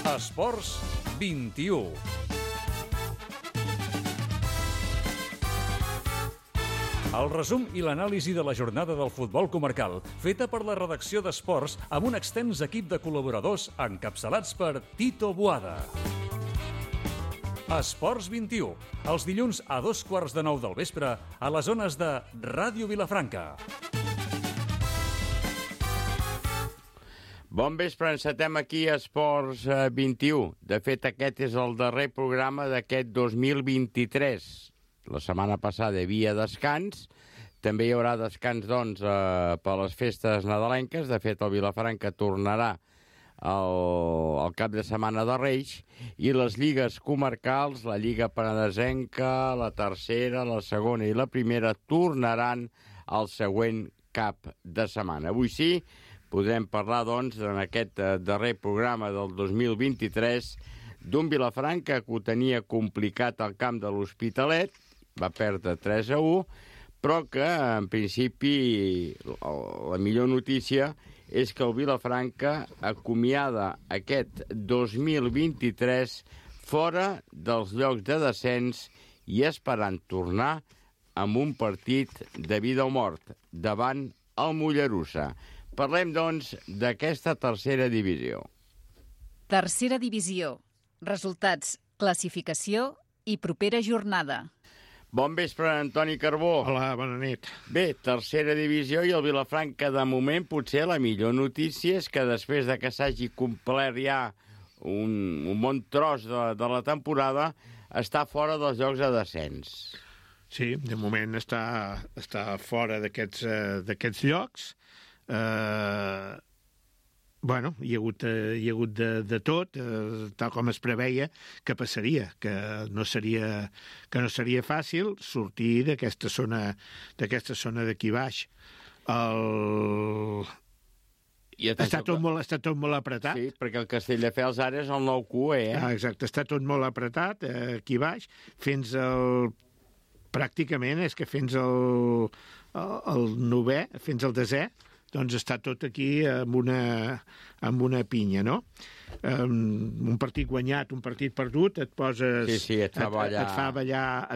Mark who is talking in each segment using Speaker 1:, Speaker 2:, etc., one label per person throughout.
Speaker 1: Esports 21. El resum i l'anàlisi de la jornada del futbol comarcal, feta per la redacció d'Esports amb un extens equip de col·laboradors encapçalats per Tito Boada. Esports 21, els dilluns a 8:45 del vespre a les zones de Ràdio Vilafranca.
Speaker 2: Bon vespre, encetem aquí a Esports 21. De fet, aquest és el darrer programa d'aquest 2023. La setmana passada hi havia descans. També hi haurà descans, doncs, per les festes nadalenques. De fet, el Vilafranca tornarà al cap de setmana de Reis. I les lligues comarcals, la Lliga Penedesenca, la tercera, la segona i la primera, tornaran al següent cap de setmana. Avui sí, podrem parlar, doncs, en aquest darrer programa del 2023 d'un Vilafranca que ho tenia complicat al camp de l'Hospitalet, va perdre 3-1, però que, en principi, la millor notícia és que el Vilafranca acomiada aquest 2023 fora dels llocs de descens i esperant tornar amb un partit de vida o mort davant el Mollerussa. Parlem, doncs, d'aquesta tercera divisió.
Speaker 3: Tercera divisió. Resultats, classificació i propera jornada.
Speaker 2: Bon vespre, Antoni Carbó.
Speaker 4: Hola, bona nit.
Speaker 2: Bé, tercera divisió i el Vilafranca, de moment, potser la millor notícia és que després de que s'hagi complert ja un bon tros de la temporada, està fora dels llocs de descens.
Speaker 4: Sí, de moment està fora d'aquests llocs. Bueno, hi ha hagut de tot, tal com es preveia que passaria, que no seria fàcil sortir d'aquesta zona d'aquí baix. Està tot molt apretat.
Speaker 2: Sí, perquè el Castelldefels ara és el nou QE,
Speaker 4: Exacte, està tot molt apretat aquí baix, pràcticament és que fins al novè, fins al desè, doncs està tot aquí amb una pinya, no? Un partit guanyat, un partit perdut, et poses...
Speaker 2: Sí, et fa ballar.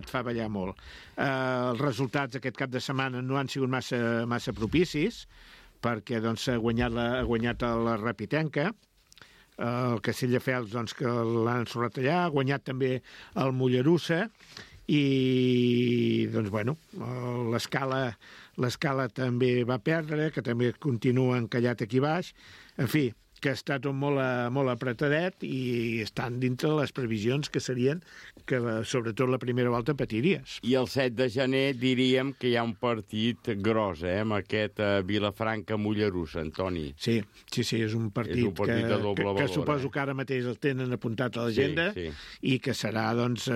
Speaker 4: Et fa ballar molt. Els resultats aquest cap de setmana no han sigut massa propicis, perquè doncs, ha guanyat la Rapitenca, el Castelldefels, doncs, que l'han ensorrat allà, ha guanyat també el Mollerussa, i doncs, bueno, l'escala també va perdre, que també continua encallat aquí baix. En fi, que està tot molt apretadet i estan dintre les previsions que serien que, sobretot, la primera volta patiries.
Speaker 2: I el 7 de gener diríem que hi ha un partit gros, amb aquest Vilafranca-Mollerussa, Antoni.
Speaker 4: Sí, és un partit
Speaker 2: de doble valor,
Speaker 4: que suposo que ara mateix el tenen apuntat a l'agenda,
Speaker 2: sí.
Speaker 4: I que serà, doncs,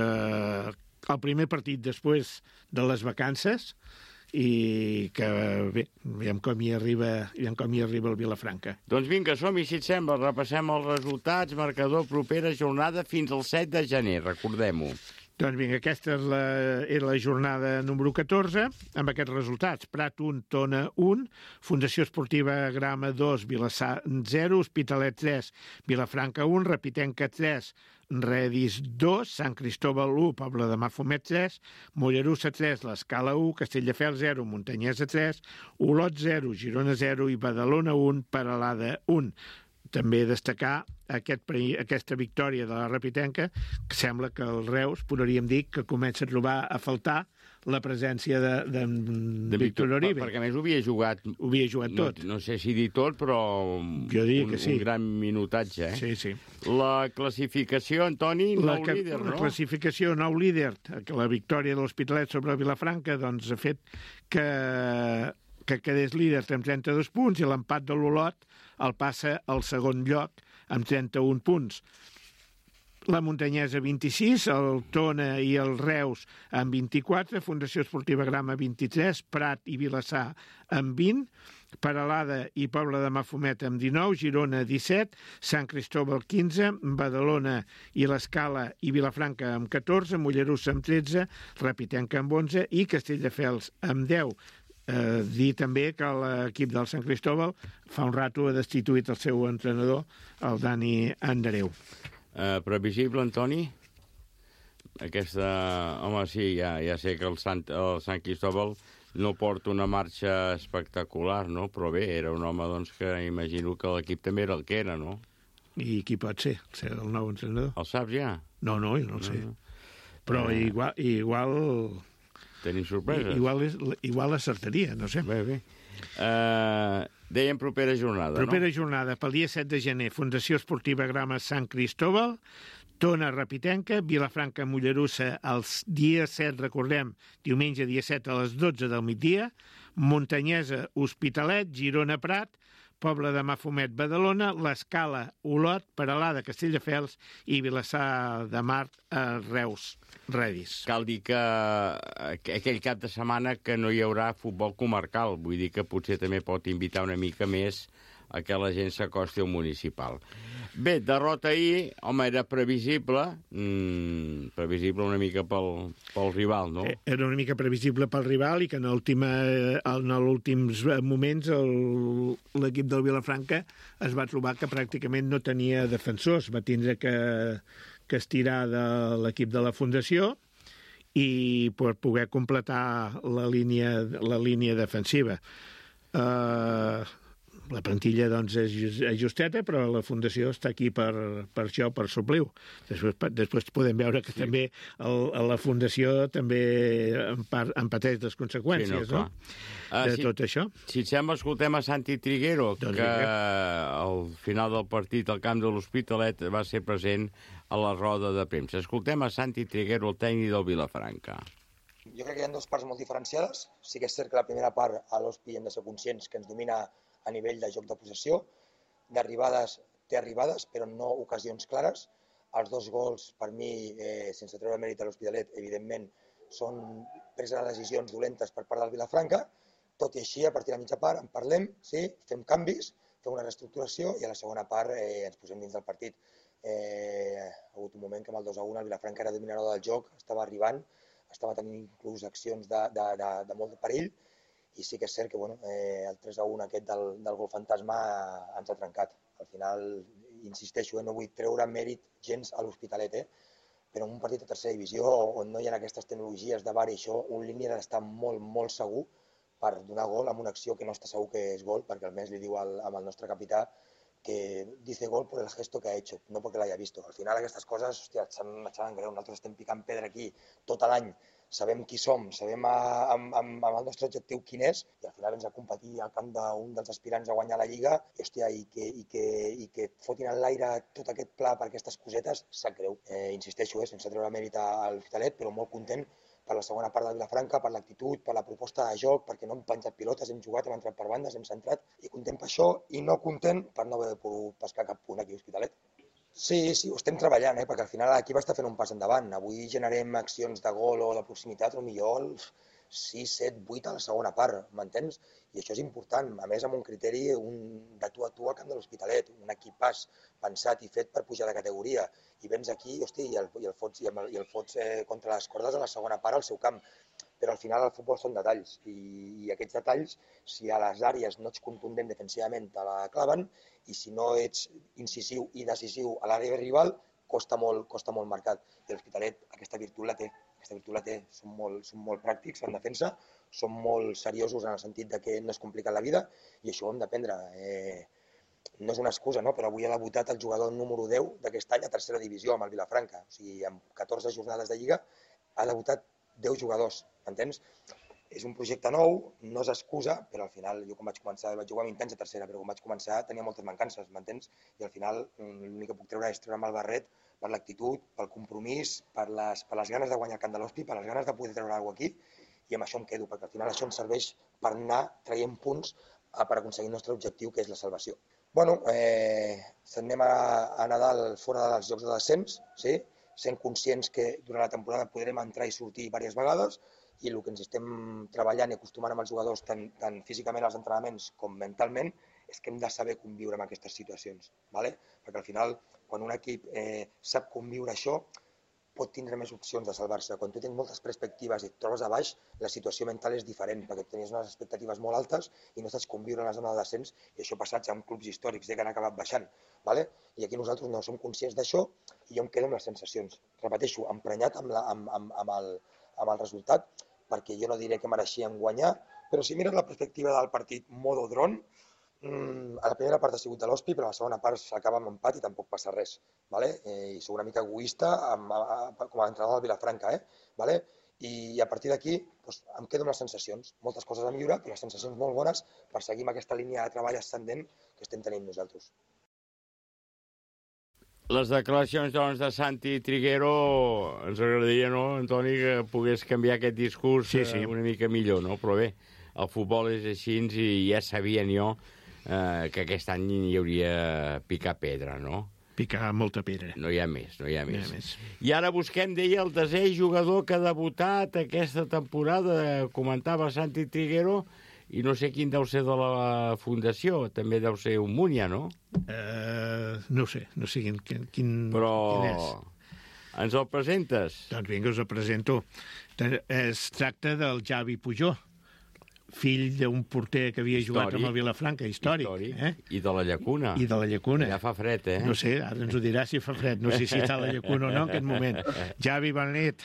Speaker 4: el primer partit després de les vacances i que, bé, veiem com hi arriba el Vilafranca.
Speaker 2: Doncs vinga, som-hi, si et sembla, repassem els resultats, marcador, propera jornada fins al 7 de gener, recordem-ho.
Speaker 4: Doncs vinga, aquesta és la jornada número 14, amb aquests resultats. Prat 1, Tona 1, Fundació Esportiva Grama 2, Vilassar 0, Hospitalet 3, Vilafranca 1, Rapitenca 3, Redis 2, Sant Cristóbal 1, Poble de Mafumet 3, Mollerussa 3, l'Escala 1, Castelldefels 0, Montanyesa 3, Olot 0, Girona 0 i Badalona 1, Peralada 1. També destacar aquesta victòria de la Rapitenca, que sembla que el Reus, podríem dir, que comença a trobar a faltar la presència de Víctor Uribe.
Speaker 2: Perquè, a més, ho havia jugat
Speaker 4: tot.
Speaker 2: No sé si dir tot, però un gran minutatge.
Speaker 4: Sí.
Speaker 2: La classificació, Antoni, nou líder, no?
Speaker 4: La classificació, nou líder. La victòria de l'Hospitalet sobre el Vilafranca doncs, ha fet que quedés líder amb 32 punts i l'empat de l'Olot el passa al segon lloc amb 31 punts. La Montanyesa 26, el Tona i el Reus amb 24, Fundació Esportiva Grama 23, Prat i Vilassar amb 20, Peralada i Poble de Mafumet amb 19, Girona 17, Sant Cristóbal 15, Badalona i l'Escala i Vilafranca amb 14, Mollerussa amb 13, Rapitenca amb 11 i Castelldefels amb 10. Dir també que l'equip del Sant Cristóbal fa un rato ha destituït el seu entrenador, el Dani Andreu.
Speaker 2: Previsible, Antoni? Home, sí, ja sé que el Sant Cristóbal no porta una marxa espectacular, no? Però bé, era un home doncs, que imagino que l'equip també era el que era, no?
Speaker 4: I qui pot ser el nou entrenador?
Speaker 2: El saps ja?
Speaker 4: No, jo no el sé. Però igual...
Speaker 2: Tenim sorpreses?
Speaker 4: Igual acertaria, no sé.
Speaker 2: Bé. Dèiem propera jornada,
Speaker 4: Propera jornada, pel dia 7 de gener, Fundació Esportiva Grama Sant Cristóbal, Tona Rapitenca, Vilafranca Mollerussa, el dia 7, recordem, diumenge dia 7 a les 12 del migdia, Muntanyesa Hospitalet, Girona Prat, Pobla de Mafumet Badalona, l'Escala Olot, Peralada Castelldefels i Vilassar de Mar Reus Redis.
Speaker 2: Cal dir que aquell cap de setmana que no hi haurà futbol comarcal, vull dir que potser també pot invitar una mica més a que la gent s'acosti al municipal. Bé, derrota ahir, home, era previsible una mica pel rival, no?
Speaker 4: Era una mica previsible pel rival i que en els últims moments l'equip del Vilafranca es va trobar que pràcticament no tenia defensors, va tindre que estirar de l'equip de la Fundació i per poder completar la línia defensiva. La plantilla doncs, és justeta, però la Fundació està aquí per això, per suplir-ho. Després podem veure que també la Fundació també en pateix les conseqüències, no? De tot això.
Speaker 2: Si et sembla, escoltem a Santi Triguero, que al final del partit al camp de l'Hospitalet va ser present a la roda de premsa. Escoltem a Santi Triguero, el tècnic del Vilafranca.
Speaker 5: Jo crec que hi ha dues parts molt diferenciades. Sí que és cert que la primera part, a l'Hospi hem de ser conscients que ens domina a nivell de joc de possessió, d'arribades té arribades, però no ocasions clares. Els dos gols, per mi, sense treure mèrit a l'Hospitalet, evidentment, són preses de decisions dolentes per part del Vilafranca. Tot i així, a partir de la mitja part, en parlem, sí, fem canvis, fem una reestructuració i a la segona part ens posem dins del partit. Ha hagut un moment que amb el 2-1 el Vilafranca era dominador del joc, estava arribant, estava tenint inclús accions de molt de perill, i sí que és cert que el 3-1 aquest del gol fantasma ens ha trencat. Al final, insisteixo, no vull treure mèrit gens a l'Hospitalet, però en un partit de tercera divisió on no hi ha aquestes tecnologies de VAR i això, un línia ha d'estar molt, molt segur per donar gol amb una acció que no està segur que és gol, perquè almenys li diu al nostre capità que dice gol por el gesto que ha hecho, no porque l'haya visto. Al final aquestes coses, hòstia, et saben greu. Nosaltres estem picant pedra aquí tot l'any, sabem qui som, sabem amb el nostre objectiu quin és, i al final ens a competir al camp d'un dels aspirants a guanyar la Lliga, i que et fotin en l'aire tot aquest pla per aquestes cosetes, sap greu. Insisteixo, sense treure mèrit a l'Hospitalet, però molt content per la segona part del Vilafranca, per l'actitud, per la proposta de joc, perquè no hem penjat pilotes, hem jugat, hem entrat per bandes, hem centrat, i content per això, i no content per no haver pogut pescar cap punt aquí a l'Hospitalet. Sí, ho estem treballant, perquè al final l'equip està fent un pas endavant. Avui generem accions de gol o de proximitat, o millor 6, 7, 8 a la segona part, m'entens? I això és important, a més amb un criteri de tu a tu al camp de l'Hospitalet, un equipàs pensat i fet per pujar de categoria. I vens aquí, i el fots contra les cordes a la segona part al seu camp. Però al final el futbol són detalls, i aquests detalls, si a les àrees no ets contundent defensivament, te la claven, i si no ets incisiu i decisiu a l'àrea rival, costa molt marcat. I l'Hospitalet aquesta virtut la té. Són molt pràctics en defensa, són molt seriosos en el sentit de que no es compliquen la vida, i això ho hem d'aprendre. No és una excusa, no? Però avui ha debutat el jugador número 10 d'aquest any a tercera divisió amb el Vilafranca. O sigui, amb 14 jornades de Lliga ha debutat 10 jugadors, m'entens? És un projecte nou, no és excusa, però al final jo quan vaig començar, vaig jugar 20 anys a tercera, però quan vaig començar tenia moltes mancances, m'entens? I al final l'únic que puc treure és treure'm el barret per l'actitud, pel compromís, per les ganes de guanyar el camp de l'Hospi, per les ganes de poder treure alguna cosa aquí, i amb això em quedo, perquè al final això ens serveix per anar traient punts per aconseguir el nostre objectiu, que és la salvació. Bueno, anem a Nadal fora dels jocs de descens, sí? Sent conscients que durant la temporada podrem entrar i sortir diverses vegades, i el que ens estem treballant i acostumant amb els jugadors, tant físicament als entrenaments com mentalment, és que hem de saber conviure amb aquestes situacions, ¿vale? Perquè al final, quan un equip sap conviure això, pot tindre més opcions de salvar-se. Quan tu tens moltes perspectives i et trobes a baix, la situació mental és diferent, perquè tenies unes expectatives molt altes i no saps conviure en la zona de descens, i això ha passat ja amb clubs històrics que han acabat baixant. ¿Vale? I aquí nosaltres no som conscients d'això i jo em quedo amb les sensacions. Repeteixo, emprenyat amb el resultat, perquè jo no diré que mereixien guanyar, però si mires la perspectiva del partit modo dron, a la primera part ha sigut de l'Hospi, però a la segona part s'acaba amb empat i tampoc passa res. ¿Vale? I soc una mica egoista com a entrenador del Vilafranca. ¿Vale? I a partir d'aquí doncs, em quedo amb les sensacions. Moltes coses a millorar, però les sensacions molt bones per seguir amb aquesta línia de treball ascendent que estem tenint nosaltres.
Speaker 2: Les declaracions, doncs, de Santi Triguero, ens agradaria, no, Antoni, que pogués canviar aquest discurs una mica millor, no? Però bé, el futbol és així i ja sabien jo que aquest any hi hauria picar pedra, no?
Speaker 4: Picar molta pedra.
Speaker 2: No hi ha més. I ara busquem, deia, el desè jugador que ha debutat aquesta temporada, comentava Santi Triguero, i no sé quin deu ser de la Fundació, també deu ser un Múnia, no?
Speaker 4: No sé quin
Speaker 2: Però
Speaker 4: és.
Speaker 2: Ens el presentes?
Speaker 4: Doncs vinga, us el presento. Es tracta del Javi Pujol, fill d'un porter que havia jugat amb el Vilafranca, històric.
Speaker 2: I de la Llacuna.
Speaker 4: I de la Llacuna.
Speaker 2: Ja fa fred,
Speaker 4: No sé, ara ens ho dirà si fa fred. No sé si està a la Llacuna o no en aquest moment. Javi, bona nit.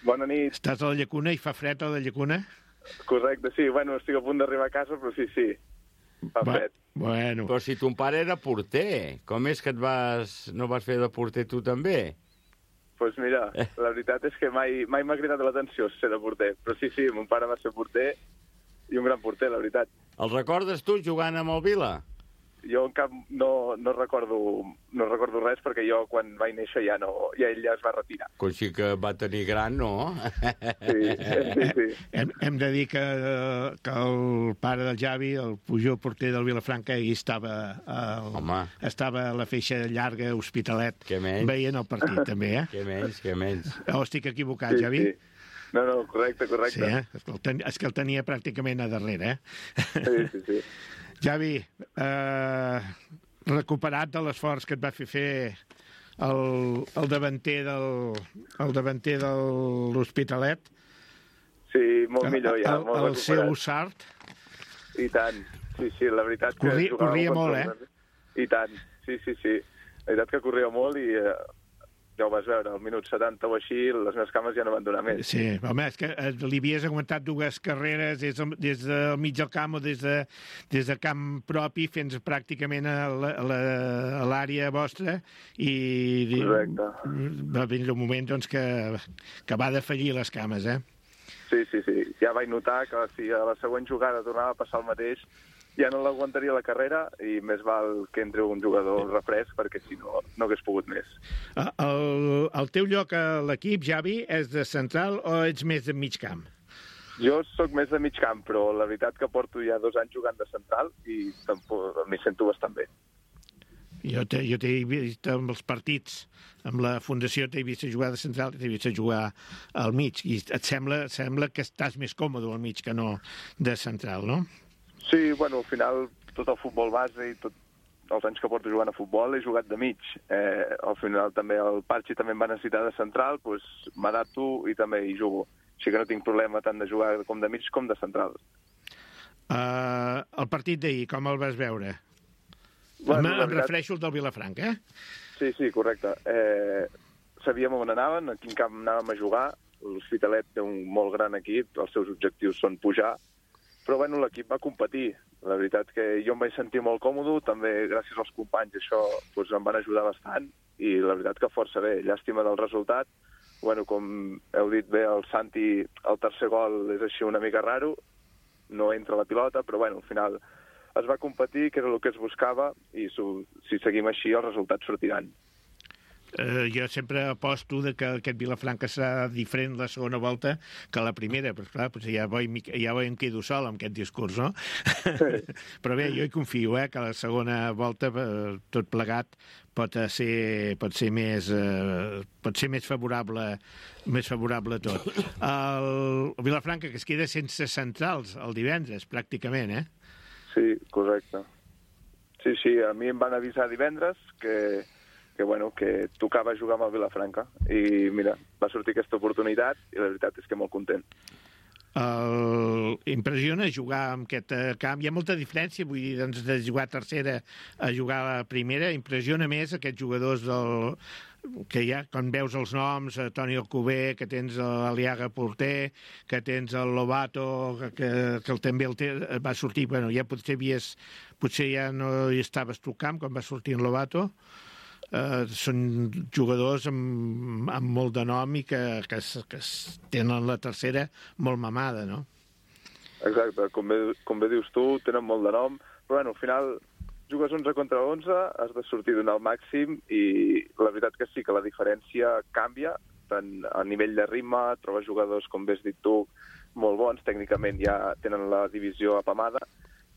Speaker 6: Bona nit.
Speaker 4: Estàs a la Llacuna i fa fred a la Llacuna?
Speaker 6: Correcte, sí. Bueno, estic a punt d'arribar a casa, però sí. Fa fred.
Speaker 4: Bueno.
Speaker 2: Però si ton pare era porter, com és que no vas fer de porter tu també?
Speaker 6: Doncs mira, la veritat és que mai m'ha cridat l'atenció ser de porter. Però sí, mon pare va ser porter i un gran porter, la veritat.
Speaker 2: El recordes tu jugant amb el Vila?
Speaker 6: Jo no recordo res, perquè jo quan vaig néixer ja ell ja es va retirar.
Speaker 2: Com sí que va tenir gran, no?
Speaker 6: Sí.
Speaker 4: Hem de dir que el pare del Javi, el Pujol porter del Vilafranca, ell estava a la feixa llarga Hospitalet veient el partit, també, eh?
Speaker 2: Què menys.
Speaker 4: Estic equivocat, Javi?
Speaker 6: Sí. No, correcte.
Speaker 4: Sí, és que el tenia pràcticament a darrere,
Speaker 6: eh? Sí.
Speaker 4: Javi, recuperat de l'esforç que et va fer el davanter de l'Hospitalet.
Speaker 6: Sí, molt millor ja.
Speaker 4: El seu Sart.
Speaker 6: I tant. Sí, la veritat que...
Speaker 4: Corria molt,
Speaker 6: I tant, sí. La veritat que corria molt i... Ja ho vas veure, al minut 70 o així, les meves cames ja no van donar més.
Speaker 4: Sí, home, és que li havies aguantat dues carreres des del mig del camp o des de camp propi fins pràcticament a l'àrea vostra i va venir un moment doncs, que va defallir les cames, eh?
Speaker 6: Sí. Ja vaig notar que si a la següent jugada tornava a passar el mateix, ja no l'aguantaria la carrera i més val que entri un jugador refresc perquè si no hagués pogut més.
Speaker 4: El teu lloc a l'equip, Javi, és de central o ets més de mig camp?
Speaker 6: Jo sóc més de mig camp, però la veritat que porto ja 2 anys jugant de central i m'hi sento bastant bé.
Speaker 4: Jo t'he vist amb els partits, amb la Fundació t'he vist jugar de central i t'he vist jugar al mig. I et sembla que estàs més còmode al mig que no de central, no?
Speaker 6: Sí, bueno, al final tot el futbol base i tots els anys que porto jugant a futbol he jugat de mig. Al final també el Parchi també em va necessitar de central, doncs m'adapto i també hi jugo. Així que no tinc problema tant de jugar com de mig com de central.
Speaker 4: El partit d'ahir, com el vas veure? Bueno, em refereixo al del Vilafranca, eh?
Speaker 6: Sí, correcte. Sabíem on anaven, a quin camp anàvem a jugar. L'Hospitalet té un molt gran equip, els seus objectius són pujar, però bueno, l'equip va competir. La veritat que jo em vaig sentir molt còmode, també gràcies als companys això doncs, em van ajudar bastant i la veritat que força bé. Llàstima del resultat. Bueno, com heu dit bé, el Santi, el tercer gol és així una mica raro, no entra la pilota, però bueno, al final es va competir, que era el que es buscava, i si seguim així els resultats sortiran.
Speaker 4: Jo sempre aposto que aquest Vilafranca serà diferent la segona volta que la primera, però clar, ja em quedo sol amb aquest discurs, no? Però bé, jo hi confio, que la segona volta, tot plegat, pot ser més favorable tot. El Vilafranca, que es queda sense centrals el divendres, pràcticament, eh?
Speaker 6: Sí, correcte. Sí, a mi em van avisar divendres que que tocava jugar amb el Vilafranca. I mira, va sortir aquesta oportunitat i la veritat és que molt content.
Speaker 4: Impressiona jugar en aquest camp. Hi ha molta diferència, vull dir, doncs, de jugar a tercera a jugar a la primera. Impressiona més aquests jugadors que hi ha, quan veus els noms, Toni Alcover, que tens l'Aliaga Porter, que tens el Lobato, que també va sortir, bueno, ja potser ja no hi estaves tu al camp quan va sortir en Lobato. Són jugadors amb molt de nom i que tenen la tercera molt mamada, no?
Speaker 6: Exacte, com bé dius tu, tenen molt de nom, però bueno, al final jugues 11 contra 11, has de sortir donar el màxim i la veritat que sí que la diferència canvia, tant a nivell de ritme, trobes jugadors, com bé has dit tu, molt bons, tècnicament ja tenen la divisió apamada,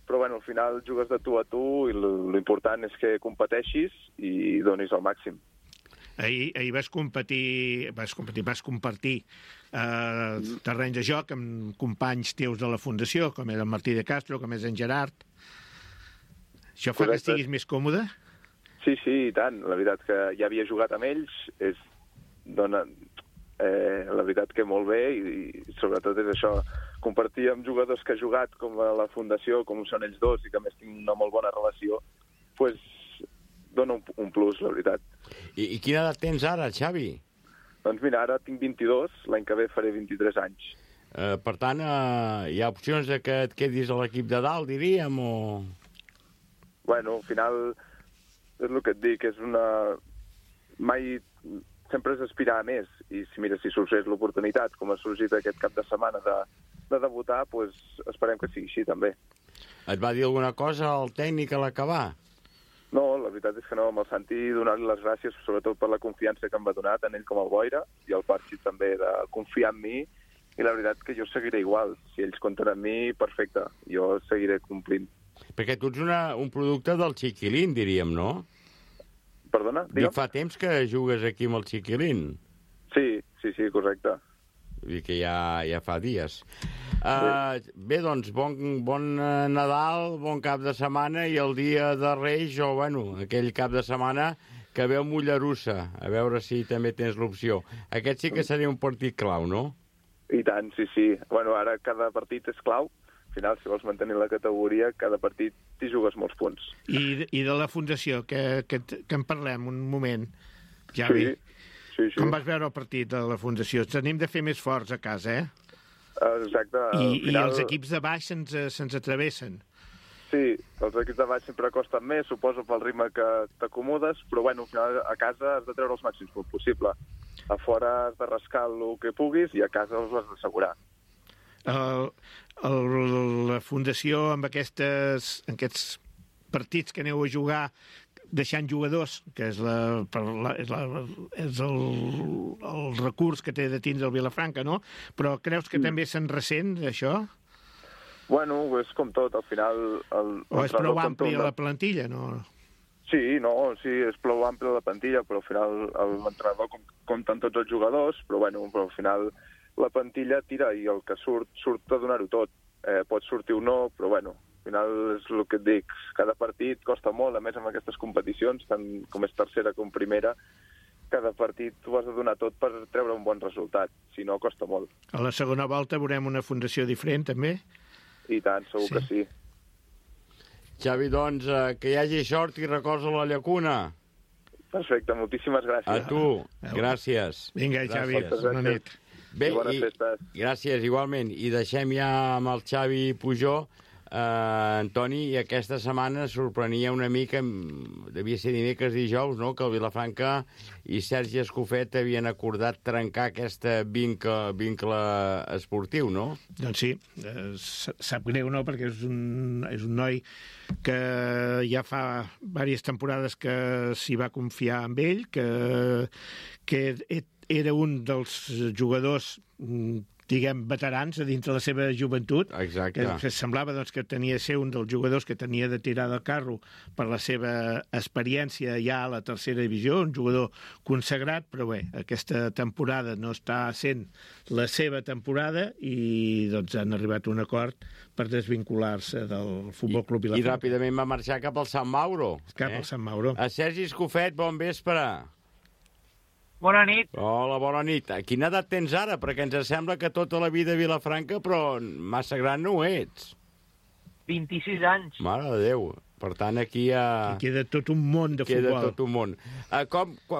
Speaker 6: però bueno, al final jugues de tu a tu i l'important és que competeixis i donis el màxim.
Speaker 4: Ahir vas compartir terreny de joc amb companys teus de la Fundació, com és el Martí de Castro, com és en Gerard. Això fa que estiguis més còmode?
Speaker 6: Sí, i tant. La veritat que ja havia jugat amb ells, la veritat que molt bé i sobretot és això, compartir amb jugadors que ha jugat com a la Fundació, com són ells dos i que a més tinc una molt bona relació, doncs dona un plus, la veritat.
Speaker 2: I quina edat tens ara, Xavi?
Speaker 6: Doncs mira, ara tinc 22, l'any que ve faré 23 anys.
Speaker 2: Per tant, hi ha opcions de que et quedis a l'equip de dalt, diríem, o...?
Speaker 6: Bueno, al final, és el que et dic, és mai sempre és aspirar a més, i si sorgeix l'oportunitat, com ha sorgit aquest cap de setmana de debutar, doncs esperem que sigui així, també.
Speaker 2: Et va dir alguna cosa el tècnic a l'acabar?
Speaker 6: No, la veritat és que no, amb el Santi donar-li les gràcies, sobretot per la confiança que em va donar, tant ell com el Boira, i el Parxi també, de confiar en mi, i la veritat que jo seguiré igual. Si ells compten amb mi, perfecte, jo seguiré complint.
Speaker 2: Perquè tu ets un producte del Chiquilín, diríem, no?
Speaker 6: Perdona? Digue'm.
Speaker 2: I fa temps que jugues aquí amb el Chiquilín.
Speaker 6: Sí, correcte.
Speaker 2: Vull dir que ja fa dies. Bé, doncs, bon Nadal, bon cap de setmana, i el dia de Reis, o, bueno, aquell cap de setmana que veu Mollerussa, a veure si també tens l'opció. Aquest sí que seria un partit clau, no?
Speaker 6: I tant, sí. Bueno, ara cada partit és clau. Al final, si vols mantenir la categoria, cada partit t'hi jugues molts punts.
Speaker 4: I de la Fundació, que en parlem un moment, Javi.
Speaker 6: Sí.
Speaker 4: Com vas veure el partit de la Fundació? Tenim de fer més forts a casa, eh?
Speaker 6: Exacte.
Speaker 4: I els equips de baix se'ns atravessen.
Speaker 6: Sí, els equips de baix sempre costen més, suposo pel ritme que t'acomodes, però bueno, al final a casa has de treure els màxims punts possible. A fora has de rascar el que puguis i a casa els has d'assegurar.
Speaker 4: La Fundació, amb aquests partits que aneu a jugar, deixant jugadors, que és el recurs que té de tindre el Vilafranca, no? Però creus que també se'n ressent, això?
Speaker 6: Bueno, és com tot, al final...
Speaker 4: O és prou àmplia la plantilla, no?
Speaker 6: Sí, és prou àmplia la plantilla, però al final l'entrenador compta amb tots els jugadors, però al final la plantilla tira i el que surt a donar-ho tot. Pot sortir o no, però al final és el que et dic, cada partit costa molt, a més amb aquestes competicions, tant com és tercera com primera, cada partit tu has de donar tot per treure un bon resultat, si no costa molt.
Speaker 4: A la segona volta veurem una Fundació diferent, també?
Speaker 6: I tant, segur que sí.
Speaker 2: Xavi, doncs, que hi hagi sort i records a la llacuna.
Speaker 6: Perfecte, moltíssimes gràcies.
Speaker 2: A tu, gràcies.
Speaker 4: Vinga, Xavi, bona nit.
Speaker 2: Bé,
Speaker 6: bones festes.
Speaker 2: Gràcies, igualment. I deixem ja amb el Xavi Pujol, Antoni, i aquesta setmana sorprenia una mica, devia ser dimecres dijous, no?, que el Vilafranca i Sergi Escofet havien acordat trencar aquest vincle esportiu, no?
Speaker 4: Doncs sí, sap greu, no?, perquè és un noi que ja fa diverses temporades que s'hi va confiar amb ell, que era un dels jugadors diguem, veterans a dintre la seva joventut.
Speaker 2: Exacte.
Speaker 4: Que semblava doncs, que tenia de ser un dels jugadors que tenia de tirar del carro per la seva experiència ja a la tercera divisió, un jugador consagrat, però bé, aquesta temporada no està sent la seva temporada i doncs han arribat a un acord per desvincular-se del Futbol Club
Speaker 2: I
Speaker 4: Vilafranca.
Speaker 2: ràpidament va marxar cap al Sant Mauro.
Speaker 4: Cap al Sant Mauro.
Speaker 2: A Sergi Escofet, bon vespre.
Speaker 7: Bona nit.
Speaker 2: Hola, bona nit. Quina edat tens ara? Perquè ens sembla que tota la vida a Vilafranca, però massa gran no ho ets.
Speaker 7: 26 anys.
Speaker 2: Mare de Déu. Per tant, aquí
Speaker 4: Queda tot un món de
Speaker 2: queda
Speaker 4: futbol.
Speaker 2: tot un món.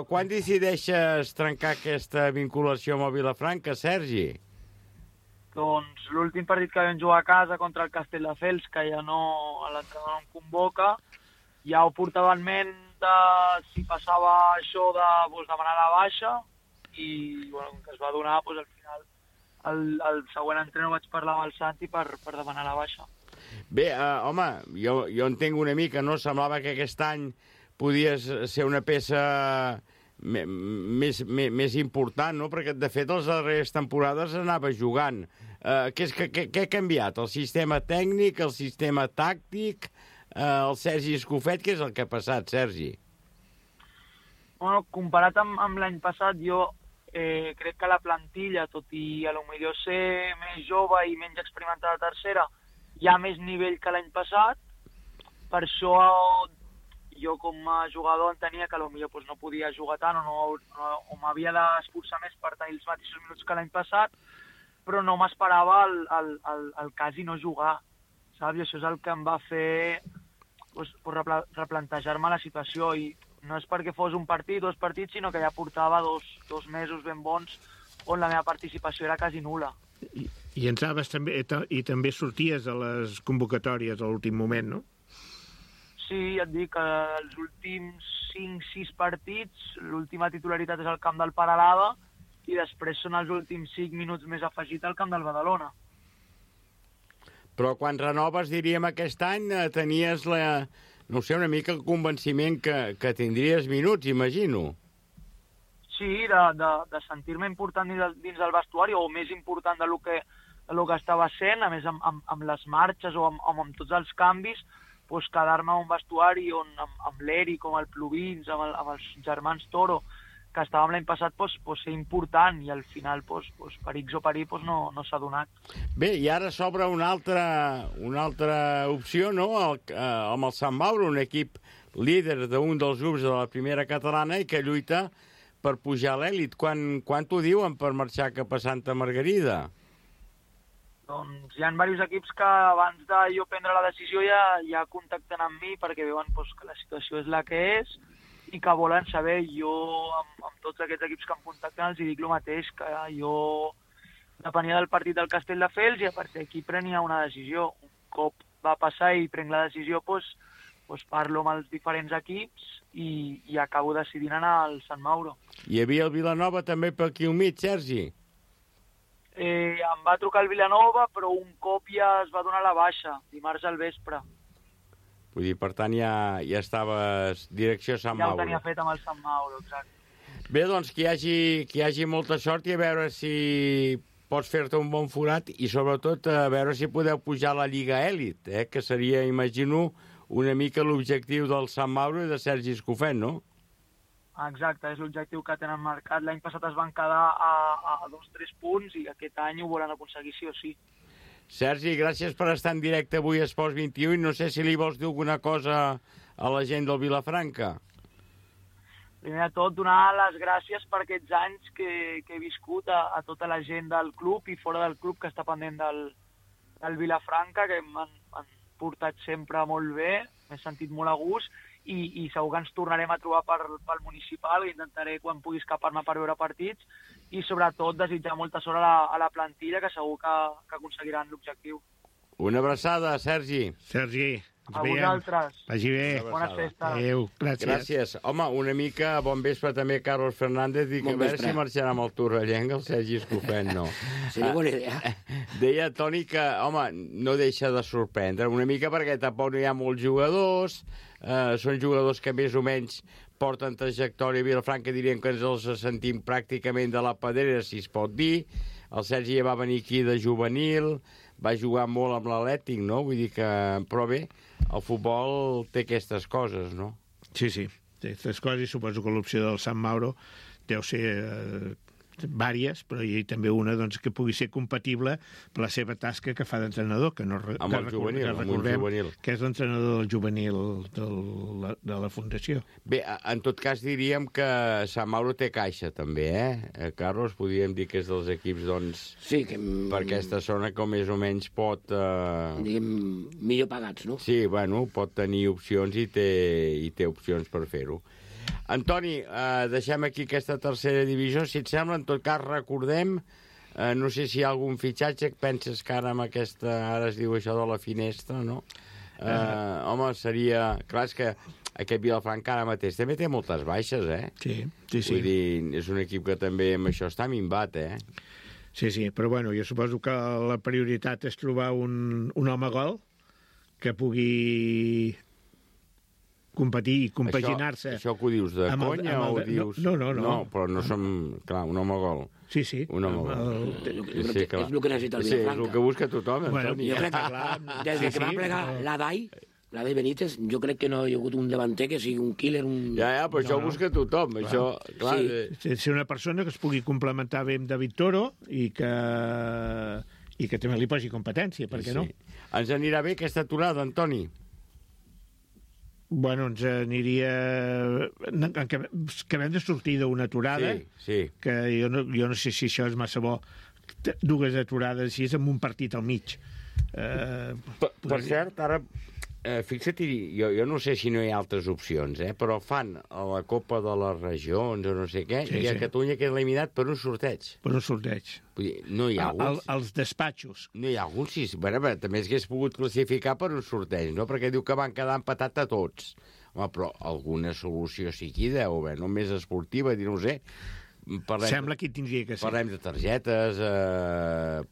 Speaker 2: Quan decideixes trencar aquesta vinculació amb el Vilafranca, Sergi?
Speaker 7: Doncs l'últim partit que vam jugar a casa contra el Castelldefels, que ja no, l'entrenador no em convoca, ja ho portava en ment de si passava això de demanar la baixa i bueno, com que es va donar, al final el següent entrenador vaig parlar amb el Santi per demanar la baixa.
Speaker 2: Bé, home, jo entenc una mica, no? Semblava que aquest any podies ser una peça més important, no? Perquè, de fet, les darreres temporades anava jugant. Què ha canviat? El sistema tècnic, el sistema tàctic, el Sergi Escofet? Què és el que ha passat, Sergi?
Speaker 7: Bueno, comparat amb l'any passat, jo crec que la plantilla, tot i a lo millor ser més jove i menys experimentada a tercera, hi ha més nivell que l'any passat. Per això jo com a jugador entenia que potser no podia jugar tant o m'havia d'esforçar més per tenir els mateixos minuts que l'any passat, però no m'esperava el quasi no jugar, saps? I això és el que em va fer replantejar-me la situació, i no és perquè fos un partit, 2 partits, sinó que ja portava dos mesos ben bons on la meva participació era quasi nul·la.
Speaker 4: I entraves també, i també sorties a les convocatòries a l'últim moment, no?
Speaker 7: Sí, et dic que els últims 5-6 partits, l'última titularitat és al camp del Peralada i després són els últims 5 minuts més afegit al camp del Badalona.
Speaker 2: Però quan renoves, diríem, aquest any, tenies una mica el convenciment que tindries minuts, imagino.
Speaker 7: Sí, de sentir-me important dins del vestuari, o més important del que estava sent, a més amb les marxes o amb tots els canvis, quedar-me a un vestuari on amb l'Eri, com el Pluvins, amb els germans Toro, que estàvem l'any passat, ser important, i al final, per X o per Y, no s'ha donat.
Speaker 2: Bé, i ara s'obre una altra opció, no?, amb el Sant Mauro, un equip líder d'un dels grups de la primera catalana i que lluita per pujar a l'èlit. Quan t'ho diuen per marxar cap a Santa Margarida?
Speaker 7: Doncs hi ha diversos equips que abans de jo prendre la decisió ja contacten amb mi perquè veuen que la situació és la que és i que volen saber. Jo, amb tots aquests equips que em contacten, els dic el mateix, que jo depenia del partit del Castelldefels i a partir d'aquí prenia una decisió. Un cop va passar i prenc la decisió, parlo amb els diferents equips i acabo decidint anar al Sant Mauro.
Speaker 2: Hi havia el Vilanova també per aquí al mig, Sergi?
Speaker 7: Em va trucar el Vilanova, però un cop ja es va donar la baixa, dimarts al vespre.
Speaker 2: Vull dir, per tant, ja estaves direcció Sant Mauro.
Speaker 7: Ja ho tenia fet amb el Sant Mauro, exacte.
Speaker 2: Bé, doncs que hi hagi molta sort i a veure si pots fer-te un bon forat i sobretot a veure si podeu pujar a la Lliga Èlit, que seria, imagino, una mica l'objectiu del Sant Mauro i de Sergi Escofet, no?
Speaker 7: Exacte, és l'objectiu que tenen marcat. L'any passat es van quedar a 2-3 punts i aquest any ho volen aconseguir sí o sí.
Speaker 2: Sergi, gràcies per estar en directe avui a Esports 21 i no sé si li vols dir alguna cosa a la gent del Vilafranca.
Speaker 7: Primer de tot, donar les gràcies per aquests anys que he viscut a tota la gent del club i fora del club que està pendent del Vilafranca, que m'han portat sempre molt bé, m'he sentit molt a gust i segur que ens tornarem a trobar pel municipal, i intentaré quan pugui escapar-me per veure partits i sobretot desitjar molta sort a la plantilla, que segur que aconseguiran l'objectiu.
Speaker 2: Una abraçada, Sergi.
Speaker 4: Sergi,
Speaker 7: a vosaltres.
Speaker 4: Vagi bé.
Speaker 7: Bones festes.
Speaker 4: Adéu, gràcies.
Speaker 2: Gràcies. Home, una mica bon vespre també Carlos Fernández, i que a veure si marxarà amb el Torrellenc el Sergi Escofet, no.
Speaker 8: Seria bona idea.
Speaker 2: Deia, Toni, que, home, no deixa de sorprendre una mica perquè tampoc no hi ha molts jugadors, són jugadors que més o menys porten trajectòria a Vilafranca, diríem que ens els sentim pràcticament de la pedrera, si es pot dir. el Sergi ja va venir aquí de juvenil, va jugar molt amb l'Atlètic, no? Vull dir que... Però bé, el futbol té aquestes coses, no?
Speaker 4: Sí, té aquestes coses, i suposo que l'opció del Sant Mauro deu ser vàries, però hi ha també una doncs, que pugui ser compatible per la seva tasca que fa d'entrenador, que no
Speaker 2: amb el juvenil,
Speaker 4: que és l'entrenador del juvenil de la Fundació.
Speaker 2: Bé, en tot cas diríem que Sant Mauro té caixa també, Carlos? Podríem dir que és dels equips, doncs,
Speaker 8: sí, que...
Speaker 2: per aquesta zona que més o menys pot...
Speaker 8: Diguem, millor pagats, no?
Speaker 2: Sí, bueno, pot tenir opcions i té opcions per fer-ho. Antoni, deixem aquí aquesta tercera divisió. Si et sembla, en tot cas, recordem, no sé si hi ha algun fitxatge que penses que ara amb aquesta... Ara es diu això de la finestra, no? Home, seria... Clar, és que aquest Vilafranca ara mateix també té moltes baixes,
Speaker 4: Sí.
Speaker 2: Vull dir, és un equip que també amb això està minvat,
Speaker 4: Sí, però bueno, jo suposo que la prioritat és trobar un home gol que pugui competir i compaginar-se.
Speaker 2: Això que ho dius de conya o ho dius...
Speaker 4: No.
Speaker 2: No, però no som... Clar, un home gol.
Speaker 4: Sí.
Speaker 2: Un home gol.
Speaker 8: És el que necessita el Vilafranca.
Speaker 2: Sí, és el que busca tothom, Antoni.
Speaker 8: Jo crec que des que va plegar l'Adai Benítez, jo crec que no hi ha hagut un davanter que sigui un killer,
Speaker 2: Ja, però això ho busca tothom. Això, clar...
Speaker 4: Ser una persona que es pugui complementar bé amb David Toro i que també li posi competència, per què no?
Speaker 2: Ens anirà bé aquesta aturada, Antoni?
Speaker 4: Bueno, ens aniria... Acabem de sortir d'una aturada, que jo no sé si això és massa bo, dues aturades així amb un partit al mig.
Speaker 2: Per cert, ara... Fixa't, jo no sé si no hi ha altres opcions, però fan a la Copa de les Regions o no sé què, i a Catalunya queda eliminat per un sorteig.
Speaker 4: Per un sorteig.
Speaker 2: Vull dir, no hi ha alguns...
Speaker 4: Els despatxos.
Speaker 2: No hi ha alguns, sí. Bueno, també s'hagués pogut classificar per un sorteig, no? Perquè diu que van quedar empatat a tots. Home, però alguna solució sí que hi deu haver, no més esportiva, no ho sé.
Speaker 4: Sembla que hi tindria que ser.
Speaker 2: Parlem de targetes,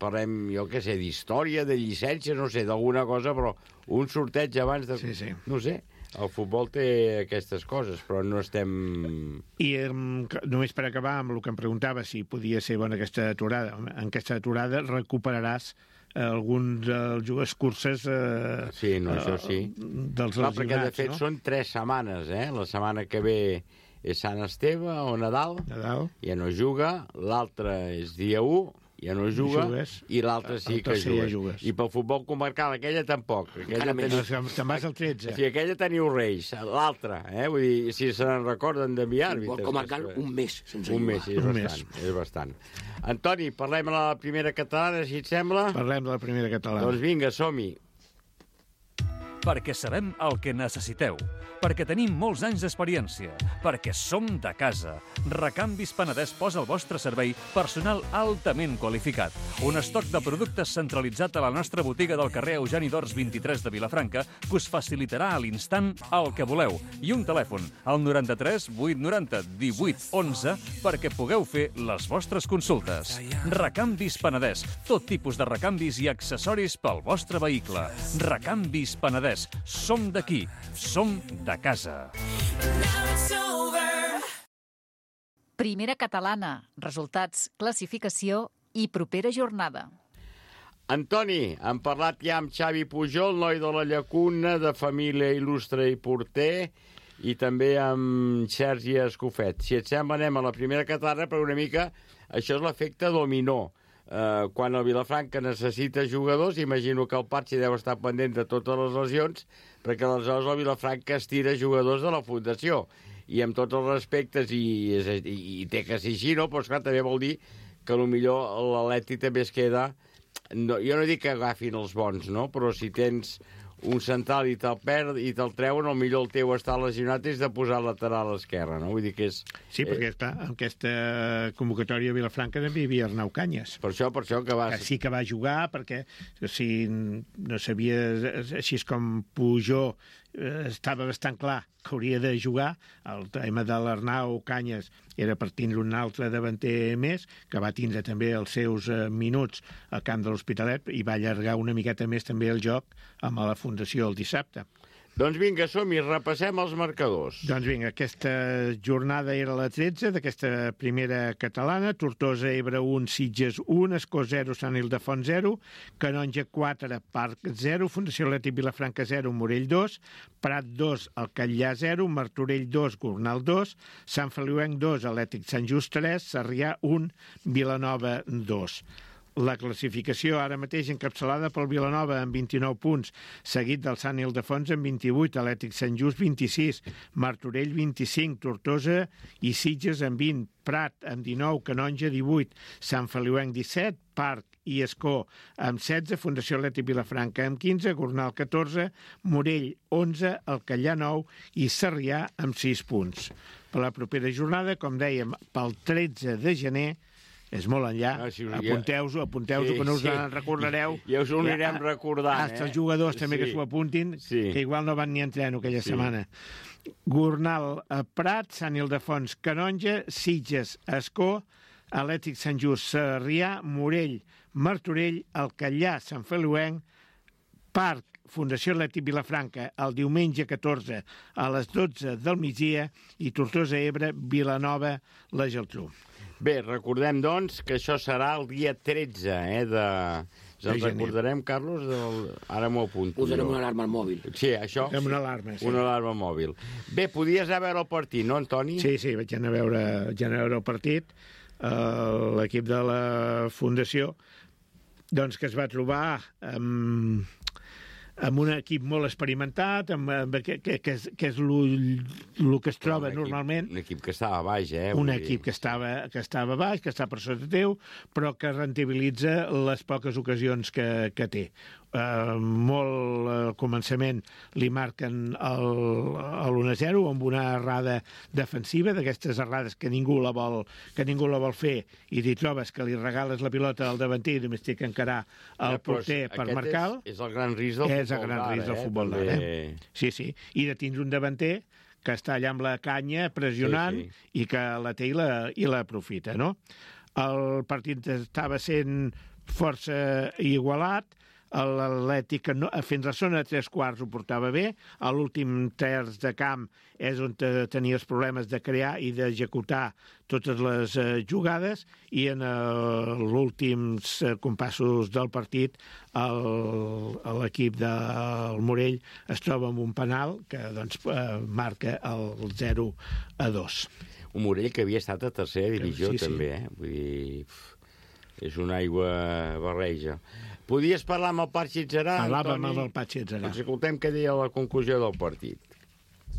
Speaker 2: parlem, jo què sé, d'història, de llicències, no sé, d'alguna cosa, però un sorteig abans de...
Speaker 4: Sí.
Speaker 2: No sé, el futbol té aquestes coses, però no estem...
Speaker 4: I només per acabar amb el que em preguntava, si podia ser bona aquesta aturada. En aquesta aturada recuperaràs alguns dels curses
Speaker 2: sí, no, això sí.
Speaker 4: Dels lesionats,
Speaker 2: perquè de fet són 3 setmanes, la setmana que ve és Sant Esteve o Nadal, ja no juga, l'altre és dia 1, ja no juga, i l'altre sí que jugues. I pel futbol comarcal, aquella tampoc.
Speaker 4: Te'n vas al 13.
Speaker 2: Sí, aquella teniu Reis, l'altra, vull dir, si se n'en recorden d'enviar àrbitres.
Speaker 8: Futbol comarcal, un mes sense jugar.
Speaker 2: Un mes, és bastant. Antoni, parlem de la primera catalana, si et sembla?
Speaker 4: Parlem de la primera catalana.
Speaker 2: Doncs vinga, som-hi.
Speaker 1: Perquè sabem el que necessiteu, perquè tenim molts anys d'experiència, perquè som de casa. Recanvis Penedès posa al vostre servei personal altament qualificat. Un estoc de productes centralitzat a la nostra botiga del carrer Eugeni d'Ors 23 de Vilafranca que us facilitarà a l'instant el que voleu. I un telèfon, al 93 890 18 11, perquè pugueu fer les vostres consultes. Recanvis Penedès, tot tipus de recanvis i accessoris pel vostre vehicle. Recanvis Penedès. Som d'aquí, som de casa.
Speaker 3: Primera catalana, resultats, classificació i propera jornada.
Speaker 2: Antoni, hem parlat ja amb Xavi Pujol, noi de la Llacuna, de família il·lustre i porter, i també amb Sergi Escofet. Si et sembla, anem a la primera catalana, però una mica això és l'efecte dominó. Quan el Vilafranca necessita jugadors, imagino que el Patxi deu estar pendent de totes les lesions, perquè aleshores el Vilafranca estira jugadors de la Fundació. I amb tots els respectes, i té que ser així, no? Però esclar, també vol dir que potser l'Atleti també es queda... No, jo no dic que agafin els bons, no? Però si tens un central i te'l perd i te'l treuen, el millor el teu està lesionat és de posar lateral a l'esquerra, no? Vull dir que és...
Speaker 4: Sí, perquè està, en aquesta convocatòria de Vilafranca també hi havia Arnau Canyes.
Speaker 2: Per això que va...
Speaker 4: Sí que va jugar, perquè si no sabia, així és com Pujol estava bastant clar que hauria de jugar, el tema de l'Arnau Canyes era per tindre un altre davanter més, que va tindre també els seus minuts al camp de l'Hospitalet i va allargar una miqueta més també el joc amb la Fundació el dissabte.
Speaker 2: Doncs vinga, som-hi, repassem els marcadors.
Speaker 4: Doncs vinga, aquesta jornada era la 13 d'aquesta primera catalana. Tortosa, Ebre 1, Sitges 1, Escó 0, Sant Ildefons 0, Canonja 4, Parc 0, Fundació Atlètic Vilafranca 0, Morell 2, Prat 2, Alcallà 0, Martorell 2, Gornal 2, Sant Feliuenc 2, Atlètic Sant Just 3, Sarrià 1, Vilanova 2. La classificació ara mateix encapçalada pel Vilanova amb 29 punts, seguit del Sant Ildefons amb 28, Atlètic Sant Just 26, Martorell 25, Tortosa i Sitges amb 20, Prat amb 19, Canonja 18, Sant Feliuenc 17, Parc i Escó amb 16, Fundació Atlètic Vilafranca amb 15, Gornal 14, Morell 11, Alcallà 9 i Sarrià amb 6 punts. Per la propera jornada, com dèiem, pel 13 de gener, és molt enllà, apunteu-ho, que no us en recordareu.
Speaker 2: Ja us ho anirem recordant.
Speaker 4: Els jugadors també que s'ho apuntin, que igual no van ni a entreno aquella setmana. Gornal, Prat, Sant Ildefons, Canonja, Sitges, Escó, Atlètic Sant Just, Sarrià, Morell, Martorell, Alcallà, Sant Feliuenc, Parc, Fundació Atlètic Vilafranca, el diumenge 14 a les 12 del migdia i Tortosa, Ebre, Vilanova, la Geltrú.
Speaker 2: Bé, recordem, doncs, que això serà el dia 13, de... Ens recordarem, Carlos? Ara m'ho apunto.
Speaker 8: Posarem una alarma al mòbil.
Speaker 2: Sí, això.
Speaker 4: Amb una alarma, sí.
Speaker 2: Una alarma mòbil. Bé, podies anar a veure el partit, no, Antoni?
Speaker 4: Sí, vaig anar a veure el partit. L'equip de la Fundació, doncs, que es va trobar amb un equip molt experimentat, que és el que es troba normalment.
Speaker 2: Un equip que estava baix,
Speaker 4: Un equip que estava baix, que està per sota teu, però que rentabilitza les poques ocasions que té. Molt al començament li marquen l'1-0 amb una errada defensiva, d'aquestes errades que ningú la vol fer, i t'hi trobes que li regales la pilota al davanter i només té que encarar el porter per marcar-lo.
Speaker 2: És el gran risc del futbol.
Speaker 4: És el gran risc del futbol d'ara. Sí. I de tindre un davanter que està allà amb la canya pressionant i que la té i l'aprofita, no? El partit estava sent força igualat. L'Atlètic fins a la zona de 3/4 ho portava bé. A l'últim terç de camp és on tenia els problemes de crear i d'executar totes les jugades, i en els últims compassos del partit l'equip del Morell es troba amb un penal que doncs, marca el 0-2.
Speaker 2: Un Morell que havia estat a tercera divisió, també. Vull dir, és una aigua barreja. Podies parlar amb el Patxi Atzerà, Antoni?
Speaker 4: Parlàvem amb el Patxi Atzerà.
Speaker 2: Doncs escoltem què deia la conclusió del partit.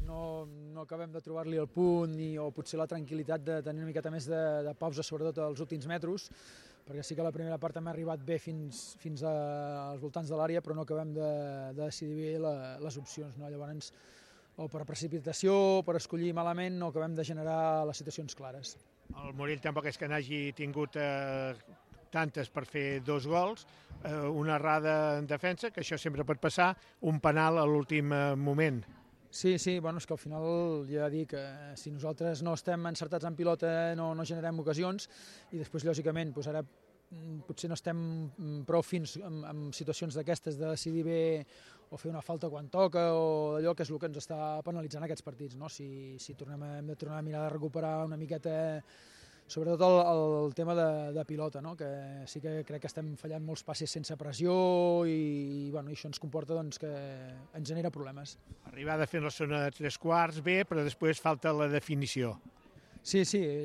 Speaker 9: No acabem de trobar-li el punt o potser la tranquil·litat de tenir una miqueta més de pausa, sobretot als últims metres, perquè sí que la primera part hem arribat bé fins als voltants de l'àrea, però no acabem de decidir bé les opcions. Llavors, o per precipitació o per escollir malament, no acabem de generar les situacions clares.
Speaker 4: El Morell tampoc és que n'hagi tingut tantes per fer 2 gols, una errada en defensa, que això sempre pot passar, un penal a l'últim moment.
Speaker 9: Sí, bueno, és que al final ja dic que si nosaltres no estem encertats en pilota no generem ocasions, i després, lògicament, ara potser no estem prou fins en situacions d'aquestes de decidir bé o fer una falta quan toca o d'allò, que és el que ens està penalitzant aquests partits, no? Si hem de tornar a mirar de recuperar una miqueta, sobretot el tema de pilota, no? Que sí que crec que estem fallant molts passes sense pressió i això ens comporta que ens genera problemes.
Speaker 4: Arribada fent la zona de 3/4 bé, però després falta la definició.
Speaker 9: Sí,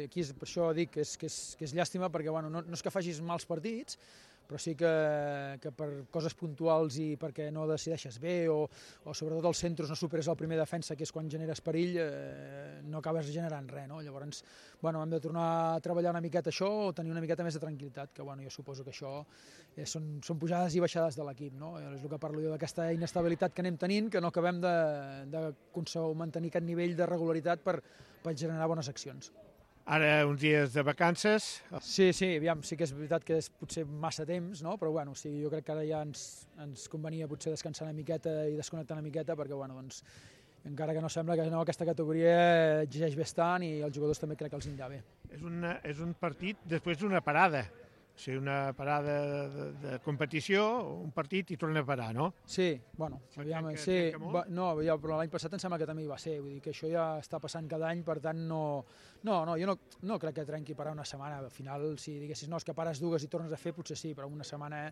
Speaker 9: aquí per això dic que és llàstima, perquè no és que facis mals partits, però sí que per coses puntuals i perquè no decideixes bé o sobretot als centres no superes el primer defensa, que és quan generes perill, no acabes generant res, no? Llavors, hem de tornar a treballar una miqueta això o tenir una miqueta més de tranquil·litat, que jo suposo que això són pujades i baixades de l'equip, no? És el que parlo jo d'aquesta inestabilitat que anem tenint, que no acabem de mantenir aquest nivell de regularitat per generar bones accions.
Speaker 4: Ara uns dies de vacances.
Speaker 9: Sí, aviam, sí que és veritat que és potser massa temps, no? Però jo crec que ara ja ens convenia potser descansar una miqueta i desconnectar una miqueta, perquè encara que no sembla que aquesta categoria exigeix bastant i els jugadors també crec que els anirà bé.
Speaker 4: És un partit després d'una parada. sigui, una parada de competició, un partit i torna a parar, no?
Speaker 9: Sí, bueno, aviam, sí, però l'any passat em sembla que també hi va ser, vull dir que això ja està passant cada any, per tant jo no crec que trenqui parar una setmana, al final si diguessis no, és que pares dues i tornes a fer, potser sí, però una setmana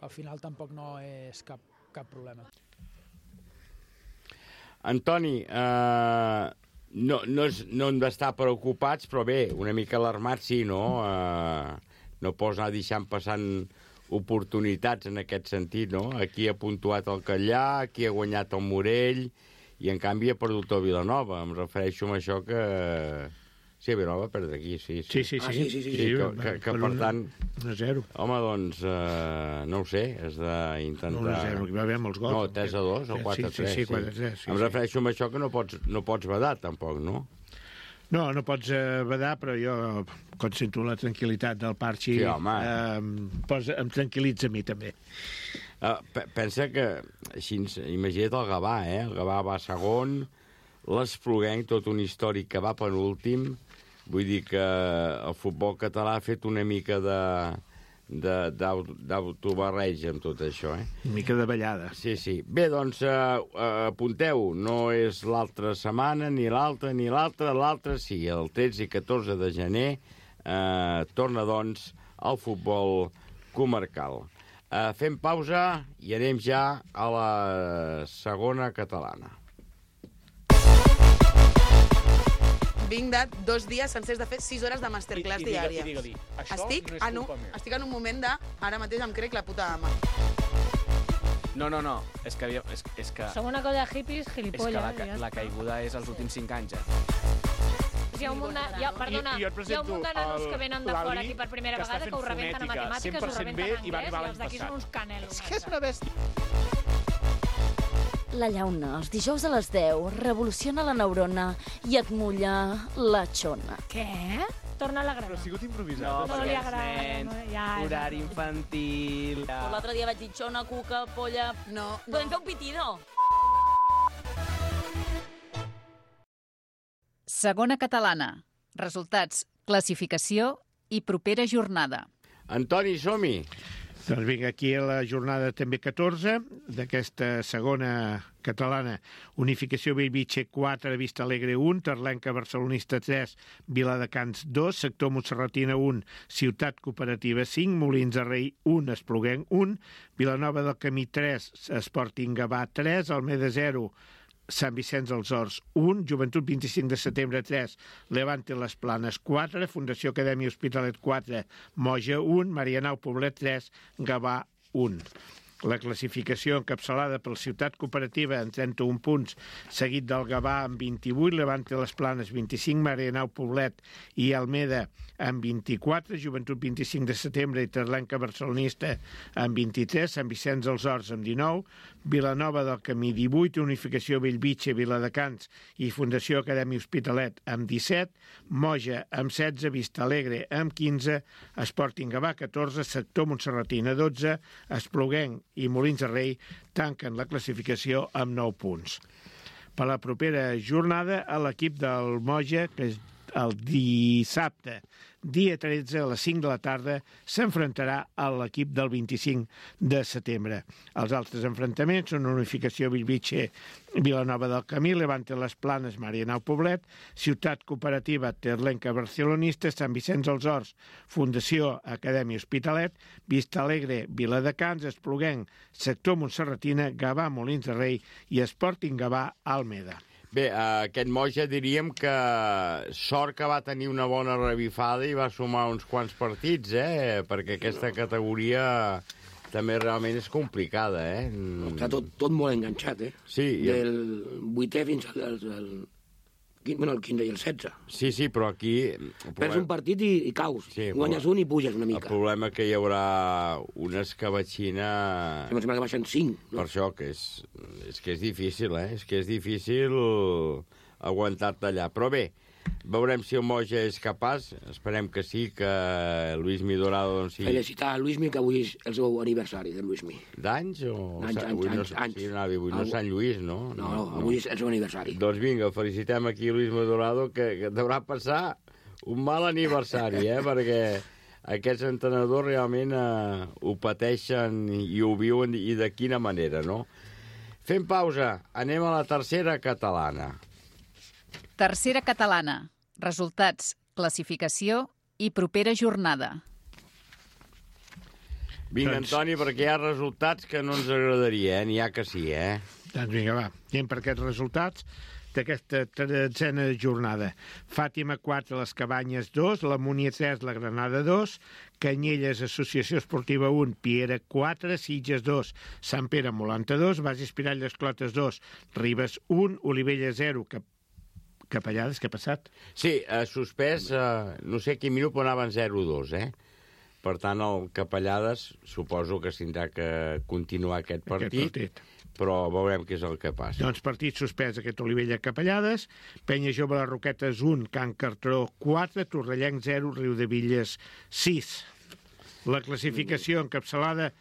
Speaker 9: al final tampoc no és cap problema.
Speaker 2: Antoni, no hem d'estar preocupats, però bé, una mica alarmats sí, no? No pots anar deixant passant oportunitats en aquest sentit, no? Aquí ha puntuat el Catllà, aquí ha guanyat el Morell, i en canvi ha perdut el Vilanova. Em refereixo a això que... Sí, Vilanova va perdre aquí, sí.
Speaker 4: Sí.
Speaker 2: Que per tant...
Speaker 4: 1-0.
Speaker 2: Home, doncs, no ho sé, has d'intentar...
Speaker 4: 1-0, que va haver molts gols.
Speaker 2: No, 3-2 o 4-3.
Speaker 4: Sí, 4-3.
Speaker 2: Em refereixo a això que no pots vedar, tampoc, no?
Speaker 4: No pots vedar, però jo, quan sento la tranquil·litat del Parchi,
Speaker 2: sí,
Speaker 4: em tranquil·litza a mi, també.
Speaker 2: Pensa que, així, imagina't el Gavà, El Gavà va segon, l'Espluguenc, tot un històric que va penúltim, vull dir que el futbol català ha fet una mica d'autobarreig amb tot això,
Speaker 4: Una mica de ballada.
Speaker 2: Sí. Bé, doncs, apunteu, no és l'altra setmana, ni l'altra, l'altra sí, el 13 i 14 de gener torna, doncs, al futbol comarcal. Fem pausa i anem ja a la segona catalana.
Speaker 10: Vinc de 2 dies sencers de fer 6 hores de masterclass diària.
Speaker 11: Digue-li, això
Speaker 10: estic
Speaker 11: no és culpa meva.
Speaker 10: Estic en un moment de... Ara mateix em crec la puta ama.
Speaker 11: No, és que...
Speaker 12: Som una colla de hippies gilipolles.
Speaker 11: És que la caiguda és els últims 5 anys,
Speaker 12: Hi ha un munt de nanos que venen de fora aquí per primera vegada que ho rebenten a matemàtiques, ho rebenten en anglès, i els d'aquí són uns canelos.
Speaker 11: És que és una bèstia.
Speaker 13: La llauna, els dijous a les 10, revoluciona la neurona i et mulla la xona.
Speaker 12: Què? Torna a la grana.
Speaker 11: Però ha sigut improvisat.
Speaker 12: No li agrada.
Speaker 11: Horari infantil...
Speaker 13: L'altre dia vaig dir xona, cuca, polla...
Speaker 10: No.
Speaker 13: Podem fer un pitido?
Speaker 3: Segona catalana. Resultats, classificació i propera jornada.
Speaker 2: Antoni, som-hi!
Speaker 4: Doncs vinga, aquí a la jornada també 14 d'aquesta segona catalana. Unificació Bellvitge 4, Vista Alegre 1, Terlenca Barcelonista 3, Viladecans 2, Sector Montserratina 1, Ciutat Cooperativa 5, Molins de Rei 1, Espluguenc 1, Vilanova del Camí 3, Sporting Gavà 3, Almeda 0, Sant Vicenç dels Horts 1, Joventut 25 de setembre 3, Levante Les Planes 4, Fundació Acadèmia Hospitalet 4, Moja 1, Marianao Poblet 3, Gavà 1. La classificació encapçalada per Ciutat Cooperativa en 31 punts, seguit del Gavà amb 28, Levante Les Planes 25, Marianao Poblet i Almeda amb 24, Joventut 25 de setembre i Terlenca Barcelonista amb 23, Sant Vicenç dels Horts amb 19, Vilanova del Camí 18, Unificació Bellvitge, Viladecans i Fundació Acadèmia Hospitalet amb 17, Moja amb 16, Vista Alegre amb 15, Sporting Gavà 14, Sector Montserratina 12, Espluguenc i Molins de Rei tanquen la classificació amb 9 punts. Per la propera jornada, a l'equip del Moja, que és el dissabte, dia 13, a les 5 de la tarda, s'enfrontarà a l'equip del 25 de setembre. Els altres enfrontaments són Unificació Bellvitge, Vilanova del Camí, Levante Les Planes, Marianao Poblet, Ciutat Cooperativa Terlenca Barcelonista, Sant Vicenç dels Horts, Fundació Acadèmia Hospitalet, Vista Alegre, Viladecans, Espluguenc, Sector Montserratina, Gavà, Molins de Rei i Sporting Gavà, Almeda.
Speaker 2: Bé, aquest Moja diríem que sort que va tenir una bona revifada i va sumar uns quants partits, perquè aquesta categoria també realment és complicada,
Speaker 8: Està tot molt enganxat,
Speaker 2: Sí.
Speaker 8: Del 8è fins al 15 i el 16.
Speaker 2: Sí, però aquí...
Speaker 8: Perds un partit i caus. Sí, guanyes un i puges una mica.
Speaker 2: El problema que hi haurà una escabatxina...
Speaker 8: Em sembla que baixen 5.
Speaker 2: Per això, que és difícil, És que és difícil aguantar-te allà. Però bé, veurem si el Moja és capaç. Esperem que sí, que Luismi Dorado... Doncs, sí.
Speaker 8: Felicitar a Luismi, que avui és el seu aniversari, de Luismi.
Speaker 2: D'anys o...?
Speaker 8: Anys.
Speaker 2: Sí, avui no Sant Lluís, no?
Speaker 8: No, avui és el seu aniversari.
Speaker 2: Doncs vinga, felicitem aquí Luismi Dorado, que deurà passar un mal aniversari, perquè aquests entrenadors realment ho pateixen i ho viuen, i de quina manera, no? Fem pausa, anem a la tercera catalana.
Speaker 3: Tercera catalana. Resultats, classificació i propera jornada.
Speaker 2: Vinga, Antoni, perquè hi ha resultats que no ens agradaria, n'hi ha que sí,
Speaker 4: Doncs vinga, va, anem per aquests resultats d'aquesta tretzena jornada. Fàtima 4, les Cabanyes 2, la Múnia 3, la Granada 2, Canyelles, Associació Esportiva 1, Piera 4, Sitges 2, Sant Pere Molanta 2, Bages Pirall Clotes 2, Ribes 1, Olivella 0, Capellades, què ha passat?
Speaker 2: Sí, suspès, no sé quin minut, però anaven 0-2, Per tant, el Capellades suposo que tindrà que continuar aquest partit, però veurem què és el que passa.
Speaker 4: Doncs partit suspès aquest Olivella-Capellades, Penya Jove les Roquetes 1, Can Cartró 4, Torrellenc 0, Riudevilles 6. La classificació encapçalada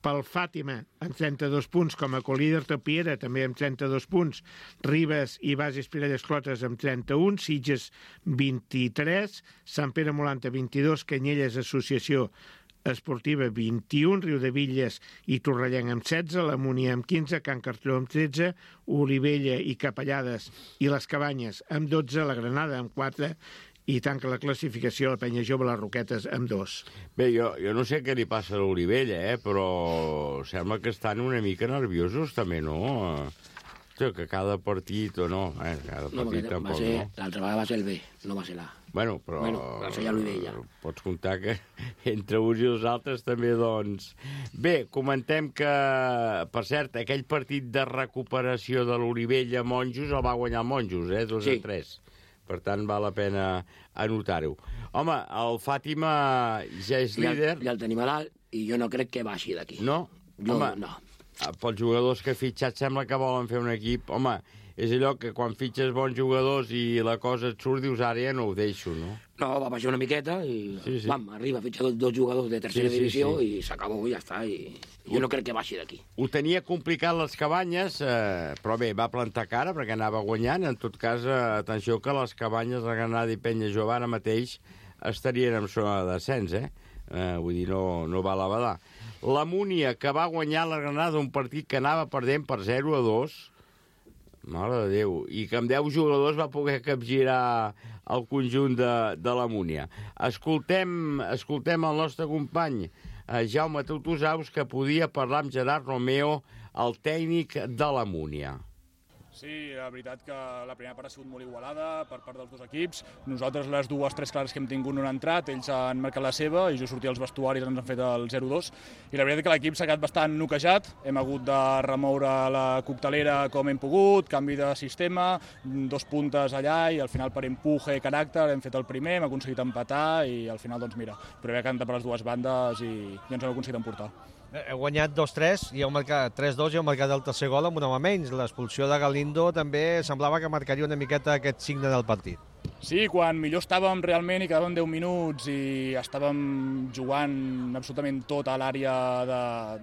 Speaker 4: pel Fàtima amb 32 punts, com a colíder Piera també amb 32 punts, Ribes i Bages Pirelles Clotes amb 31, Sitges 23, Sant Pere Molanta 22, Canyelles Associació Esportiva 21, Riudevilles i Torrellenc amb 16, la Múnia amb 15, Can Cartró amb 13, Olivella i Capellades i les Cabanyes amb 12, la Granada amb 4 i tanca la classificació la Penya Jove les Roquetes amb 2.
Speaker 2: Bé, jo no sé què li passa a l'Olivella, però sembla que estan una mica nerviosos també, no? Que cada partit o no, cada partit tampoc, no?
Speaker 8: L'altra vegada va ser el B, no va ser l'A.
Speaker 2: Bueno, però
Speaker 8: va ser ja l'Olivella.
Speaker 2: Pots comptar que entre uns i els altres també, doncs... Bé, comentem que, per cert, aquell partit de recuperació de l'Olivella-Monjos el va guanyar Monjos, 2-3. Per tant, val la pena anotar-ho. Home, el Fàtima ja és líder.
Speaker 8: Ja el tenim a dalt i jo no crec que baixi d'aquí.
Speaker 2: No?
Speaker 8: Home, no.
Speaker 2: Pels jugadors que ha fitxat sembla que volen fer un equip. Home, és allò que quan fitxes bons jugadors i la cosa et surt, dius, ara ja no ho deixo, no?
Speaker 8: No, va baixar una miqueta i arriba a fitxar dos jugadors de tercera divisió i s'acabó i ja està. I jo no crec que baixi d'aquí.
Speaker 2: Ho tenia complicat les Cabanyes, però bé, va plantar cara perquè anava guanyant. En tot cas, atenció que les Cabanyes, la Granada i Penya Jove ara mateix estarien en zona de descens, vull dir, no va a la badar. La Múnia, que va guanyar la Granada un partit que anava perdent per 0-2, mare de Déu, i que amb 10 jugadors va poder capgirar el conjunt de la Múnia. Escoltem el nostre company Jaume Tutusaus, que podia parlar amb Gerard Romeo, el tècnic de la Múnia.
Speaker 14: Sí, la veritat que la primera part ha sigut molt igualada per part dels dos equips. Nosaltres les 2-3 clares que hem tingut no han entrat, ells han marcat la seva i jo sortia als vestuaris ens han fet el 0-2. I la veritat és que l'equip s'ha quedat bastant noquejat, hem hagut de remoure la coctelera com hem pogut, canvi de sistema, 2 puntes allà i al final per empuje i caràcter hem fet el primer, hem aconseguit empatar i al final doncs mira, però havia cantat per les dues bandes i ens hem aconseguit emportar.
Speaker 15: Heu guanyat 2-3 i heu marcat 3-2 i heu marcat el tercer gol amb un home menys. L'expulsió de Galindo també semblava que marcaria una miqueta aquest signe del partit.
Speaker 14: Sí, quan millor estàvem realment i quedaven 10 minuts i estàvem jugant absolutament tot a l'àrea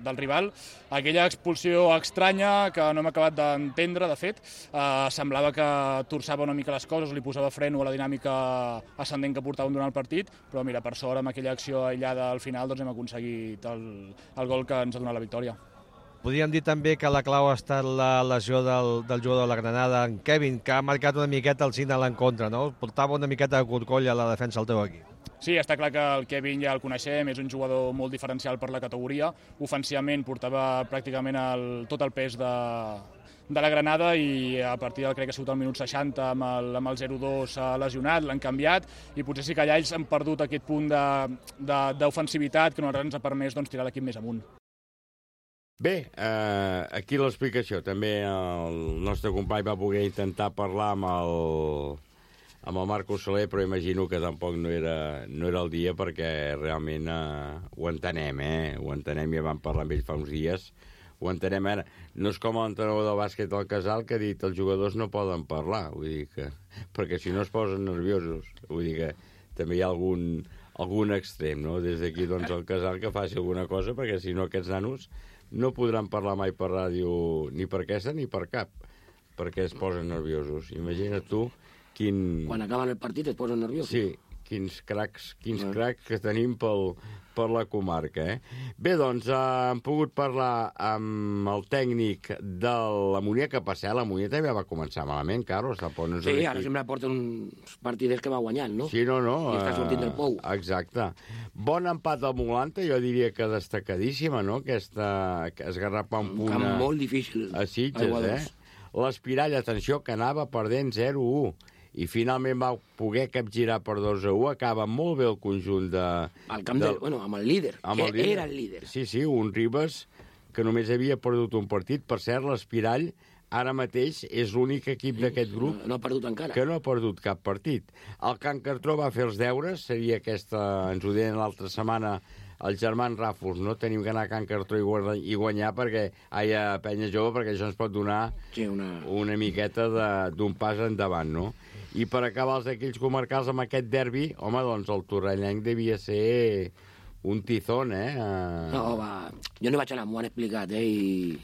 Speaker 14: del rival, aquella expulsió estranya que no hem acabat d'entendre, de fet, semblava que torçava una mica les coses, li posava freno a la dinàmica ascendent que portàvem durant el partit, però mira, per sort amb aquella acció aïllada al final doncs hem aconseguit el gol que ens ha donat la victòria.
Speaker 15: Podríem dir també que la clau ha estat la lesió del jugador de la Granada, en Kevin, que ha marcat una miqueta el signe a l'encontre, no? Portava una miqueta de corcoll a la defensa del teu equip.
Speaker 14: Sí, està clar que el Kevin ja el coneixem, és un jugador molt diferencial per la categoria. Ofensivament portava pràcticament tot el pes de la Granada i a partir del, crec que ha sigut el minut 60 amb el 0-2 s'ha lesionat, l'han canviat i potser sí que allà ells han perdut aquest punt d'ofensivitat que nosaltres ens ha permès tirar l'equip més amunt.
Speaker 2: Bé, aquí l'explicació. També el nostre company va poder intentar parlar amb el Marco Soler, però imagino que tampoc no era el dia perquè realment ho entenem, ho entenem, ja vam parlar amb ell fa uns dies, ho entenem ara. No és com l'entrenador del bàsquet del Casal que ha dit els jugadors no poden parlar, vull dir que, perquè si no es posen nerviosos, vull dir que també hi ha algun extrem, no? Des d'aquí doncs el Casal que faci alguna cosa perquè si no aquests nanos no podran parlar mai per ràdio ni per aquesta ni per cap, perquè es posen nerviosos. Imagina't tu quin...
Speaker 8: Quan acaben el partit es posen nerviosos.
Speaker 2: Sí, quins cracs que tenim per la comarca, Bé, doncs, hem pogut parlar amb el tècnic de la Munià, que per cert, la Munià també va començar malament, Carlos.
Speaker 8: Sí, ara sempre porta uns partiders que va guanyant, no?
Speaker 2: Sí, no.
Speaker 8: I està sortint del pou.
Speaker 2: Exacte. Bon empat al Molanta, jo diria que destacadíssima, no? Aquesta esgarrapar un punt...
Speaker 8: Un camp molt difícil.
Speaker 2: A Sitges, L'Espirall, atenció, que anava perdent 0-1. I finalment va poder capgirar per 2-1, acaba molt bé el conjunt de...
Speaker 8: amb el líder, era el líder.
Speaker 2: Sí, un Ribes que només havia perdut un partit. Per cert, l'Espirall ara mateix és l'únic equip d'aquest grup
Speaker 8: no ha perdut encara.
Speaker 2: Que no ha perdut cap partit. El Can Cartró va fer els deures, seria aquesta, ens ho deien l'altra setmana, els germans Ràfols, no? Tenim que anar a Can Cartró i guanyar perquè hi ha penya jove, perquè això ens pot donar una miqueta d'un pas endavant, no? I per acabar els d'aquells comarcals amb aquest derbi, home, doncs el torrellenc devia ser un tizón,
Speaker 8: No, jo no vaig anar, m'ho han explicat, i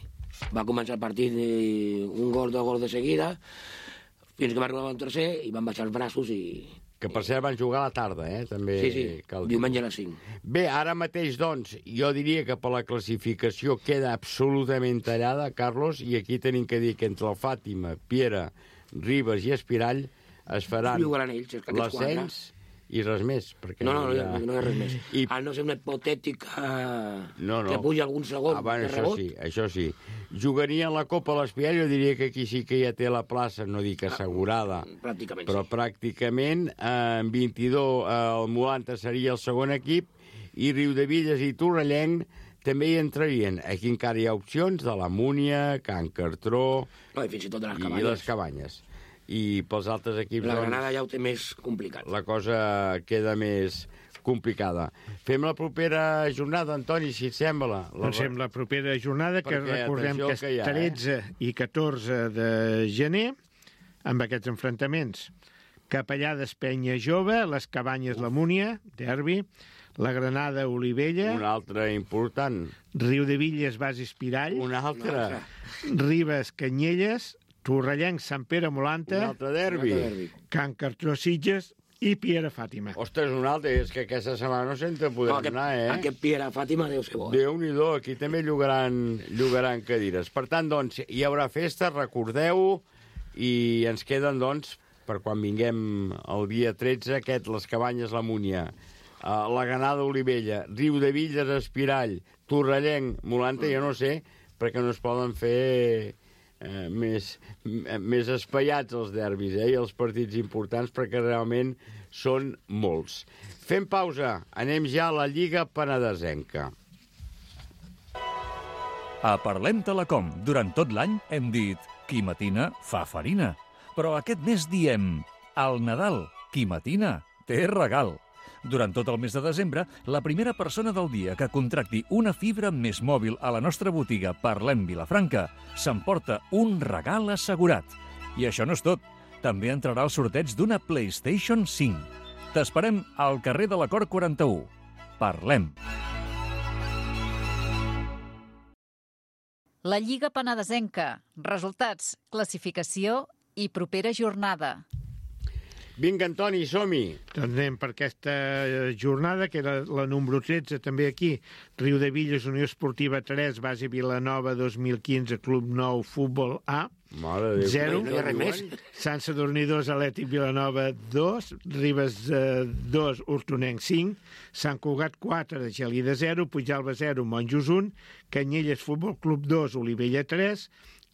Speaker 8: va començar el partit un gol, 2 gols de seguida, fins que va arribar un tercer i van baixar els braços i...
Speaker 2: Que per cert van jugar a la tarda, també.
Speaker 8: Sí, diumenge a les 5.
Speaker 2: Bé, ara mateix, doncs, jo diria que per la classificació queda absolutament tallada, Carlos, i aquí tenim que dir que entre el Fàtima, Piera, Ribes i Espirall es faran l'ascens i res més.
Speaker 8: No hi ha res més. A no ser una hipotètica que pugi algun segon de rebot.
Speaker 2: Això sí. Jugarien la Copa a l'Espirall, jo diria que aquí sí que ja té la plaça, no dic assegurada, però pràcticament en 22 el Molanta seria el segon equip i Riudevilles i Torrellenc també hi entrarien. Aquí encara hi ha opcions de la Múnia, Can Cartró
Speaker 8: i fins i tot de
Speaker 2: les Cabanyes. I pels altres equips...
Speaker 8: La Granada ja ho té més complicat.
Speaker 2: La cosa queda més complicada. Fem la propera jornada, Antoni, si et sembla.
Speaker 4: Doncs fem la propera jornada, que recordem que és 13 i 14 de gener, amb aquests enfrontaments. Capellades Penya Jove, les Cabanyes la Múnia, derbi, la Granada Olivella...
Speaker 2: Un altre important.
Speaker 4: Riudevilles Bas Espirall.
Speaker 2: Un altre.
Speaker 4: Ribes Canyelles, Torrellenc Sant Pere Molanta,
Speaker 2: un altre derbi.
Speaker 4: Can Cartró Sitges i Piera Fàtima.
Speaker 2: Ostres, un altre, és que aquesta setmana no se'n podrem anar,
Speaker 8: Aquest Piera Fàtima deu ser bo.
Speaker 2: Déu-n'hi-do, aquí també llogaran cadires. Per tant, doncs, hi haurà festa, recordeu, i ens queden, doncs, per quan vinguem el dia 13, les Cabanyes la Múnia, la Granada Olivella, Riudevilles Espirall, Torrellenc, Molanta, jo no sé, perquè no es poden fer... més espaiats els derbis i els partits importants, perquè realment són molts. Fem pausa, anem ja a la Lliga Penedesenca.
Speaker 1: A Parlem Telecom, durant tot l'any hem dit qui matina fa farina, però aquest mes diem al Nadal, qui matina té regal. Durant tot el mes de desembre, la primera persona del dia que contracti una fibra més mòbil a la nostra botiga Parlem Vilafranca s'emporta un regal assegurat. I això no és tot. També entrarà al sorteig d'una PlayStation 5. T'esperem al carrer de l'Acord 41. Parlem.
Speaker 3: La Lliga Penedesenca. Resultats, classificació i propera jornada.
Speaker 2: Vinga, Antoni, som-hi.
Speaker 4: Doncs anem per aquesta jornada, que era la número 13, també aquí. Riudevilles, Unió Esportiva 3, Base Vilanova 2015, Club Nou, Futbol A, 0. Sant Sadurní 2, Atlètic Vilanova 2, Ribes 2, Hortonenc 5, Sant Cugat 4, Gelida 0, Puigalba 0, Monjos 1, Canyelles Futbol Club 2, Olivella 3,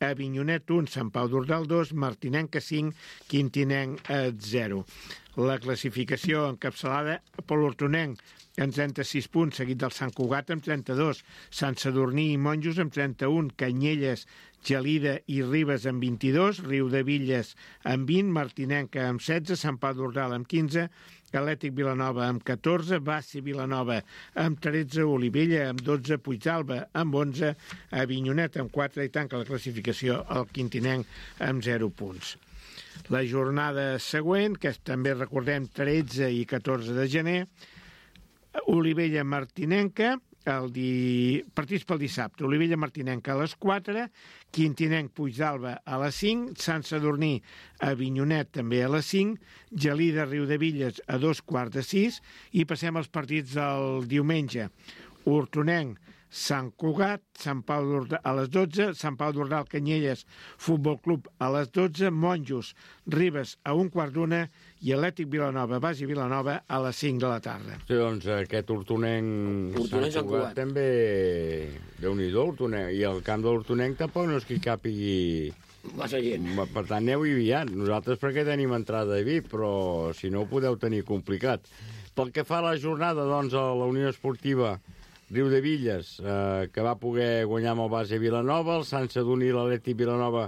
Speaker 4: Avinyonet 1, Sant Pau d'Ordal 2, Martinenca 5, Quintinenc 0. La classificació encapçalada per l'Hortonenc amb 36 punts, seguit del Sant Cugat amb 32, Sant Sadurní i Monjos amb 31, Canyelles, Gelida i Ribes amb 22, Riudevilles amb 20, Martinenca amb 16, Sant Pau d'Ordal amb 15, Atlètic Vilanova amb 14, Bassi Vilanova amb 13, Olivella amb 12, Puigdàlber amb 11, Avinyonet amb 4 i tanca la classificació el Quintinenc amb 0 punts. La jornada següent, que també recordem 13 i 14 de gener, Olivella Martinenca, partits pel dissabte. Olivella Martinenca a les 4, Quintinenc Puigdàlber a les 5, Sant Sadurní a Avinyonet també a les 5, Gelida Riudevilles a 5:15 i passem als partits del diumenge. Hortonenc, Sant Cugat, Sant Pau a les 12, Sant Pau d'Ordal Canyelles Futbol Club a les 12, Monjos Ribes a 1:15 i Atlètic Vilanova, Basi Vilanova a les 5 de la tarda.
Speaker 2: Sí, doncs aquest Hortonenc Sant Cugat també... Déu-n'hi-do, Hortonenc. I el camp de l'Hortonenc tampoc no és que hi càpigui...
Speaker 8: Massa gent.
Speaker 2: Per tant, aneu-hi aviat. Nosaltres perquè tenim entrada de VIP, però si no ho podeu tenir complicat. Pel que fa a la jornada, doncs, a la Unió Esportiva Riudevilles, que va poder guanyar amb el base Vilanova, el Sant Sadurní i l'Atlètic Vilanova,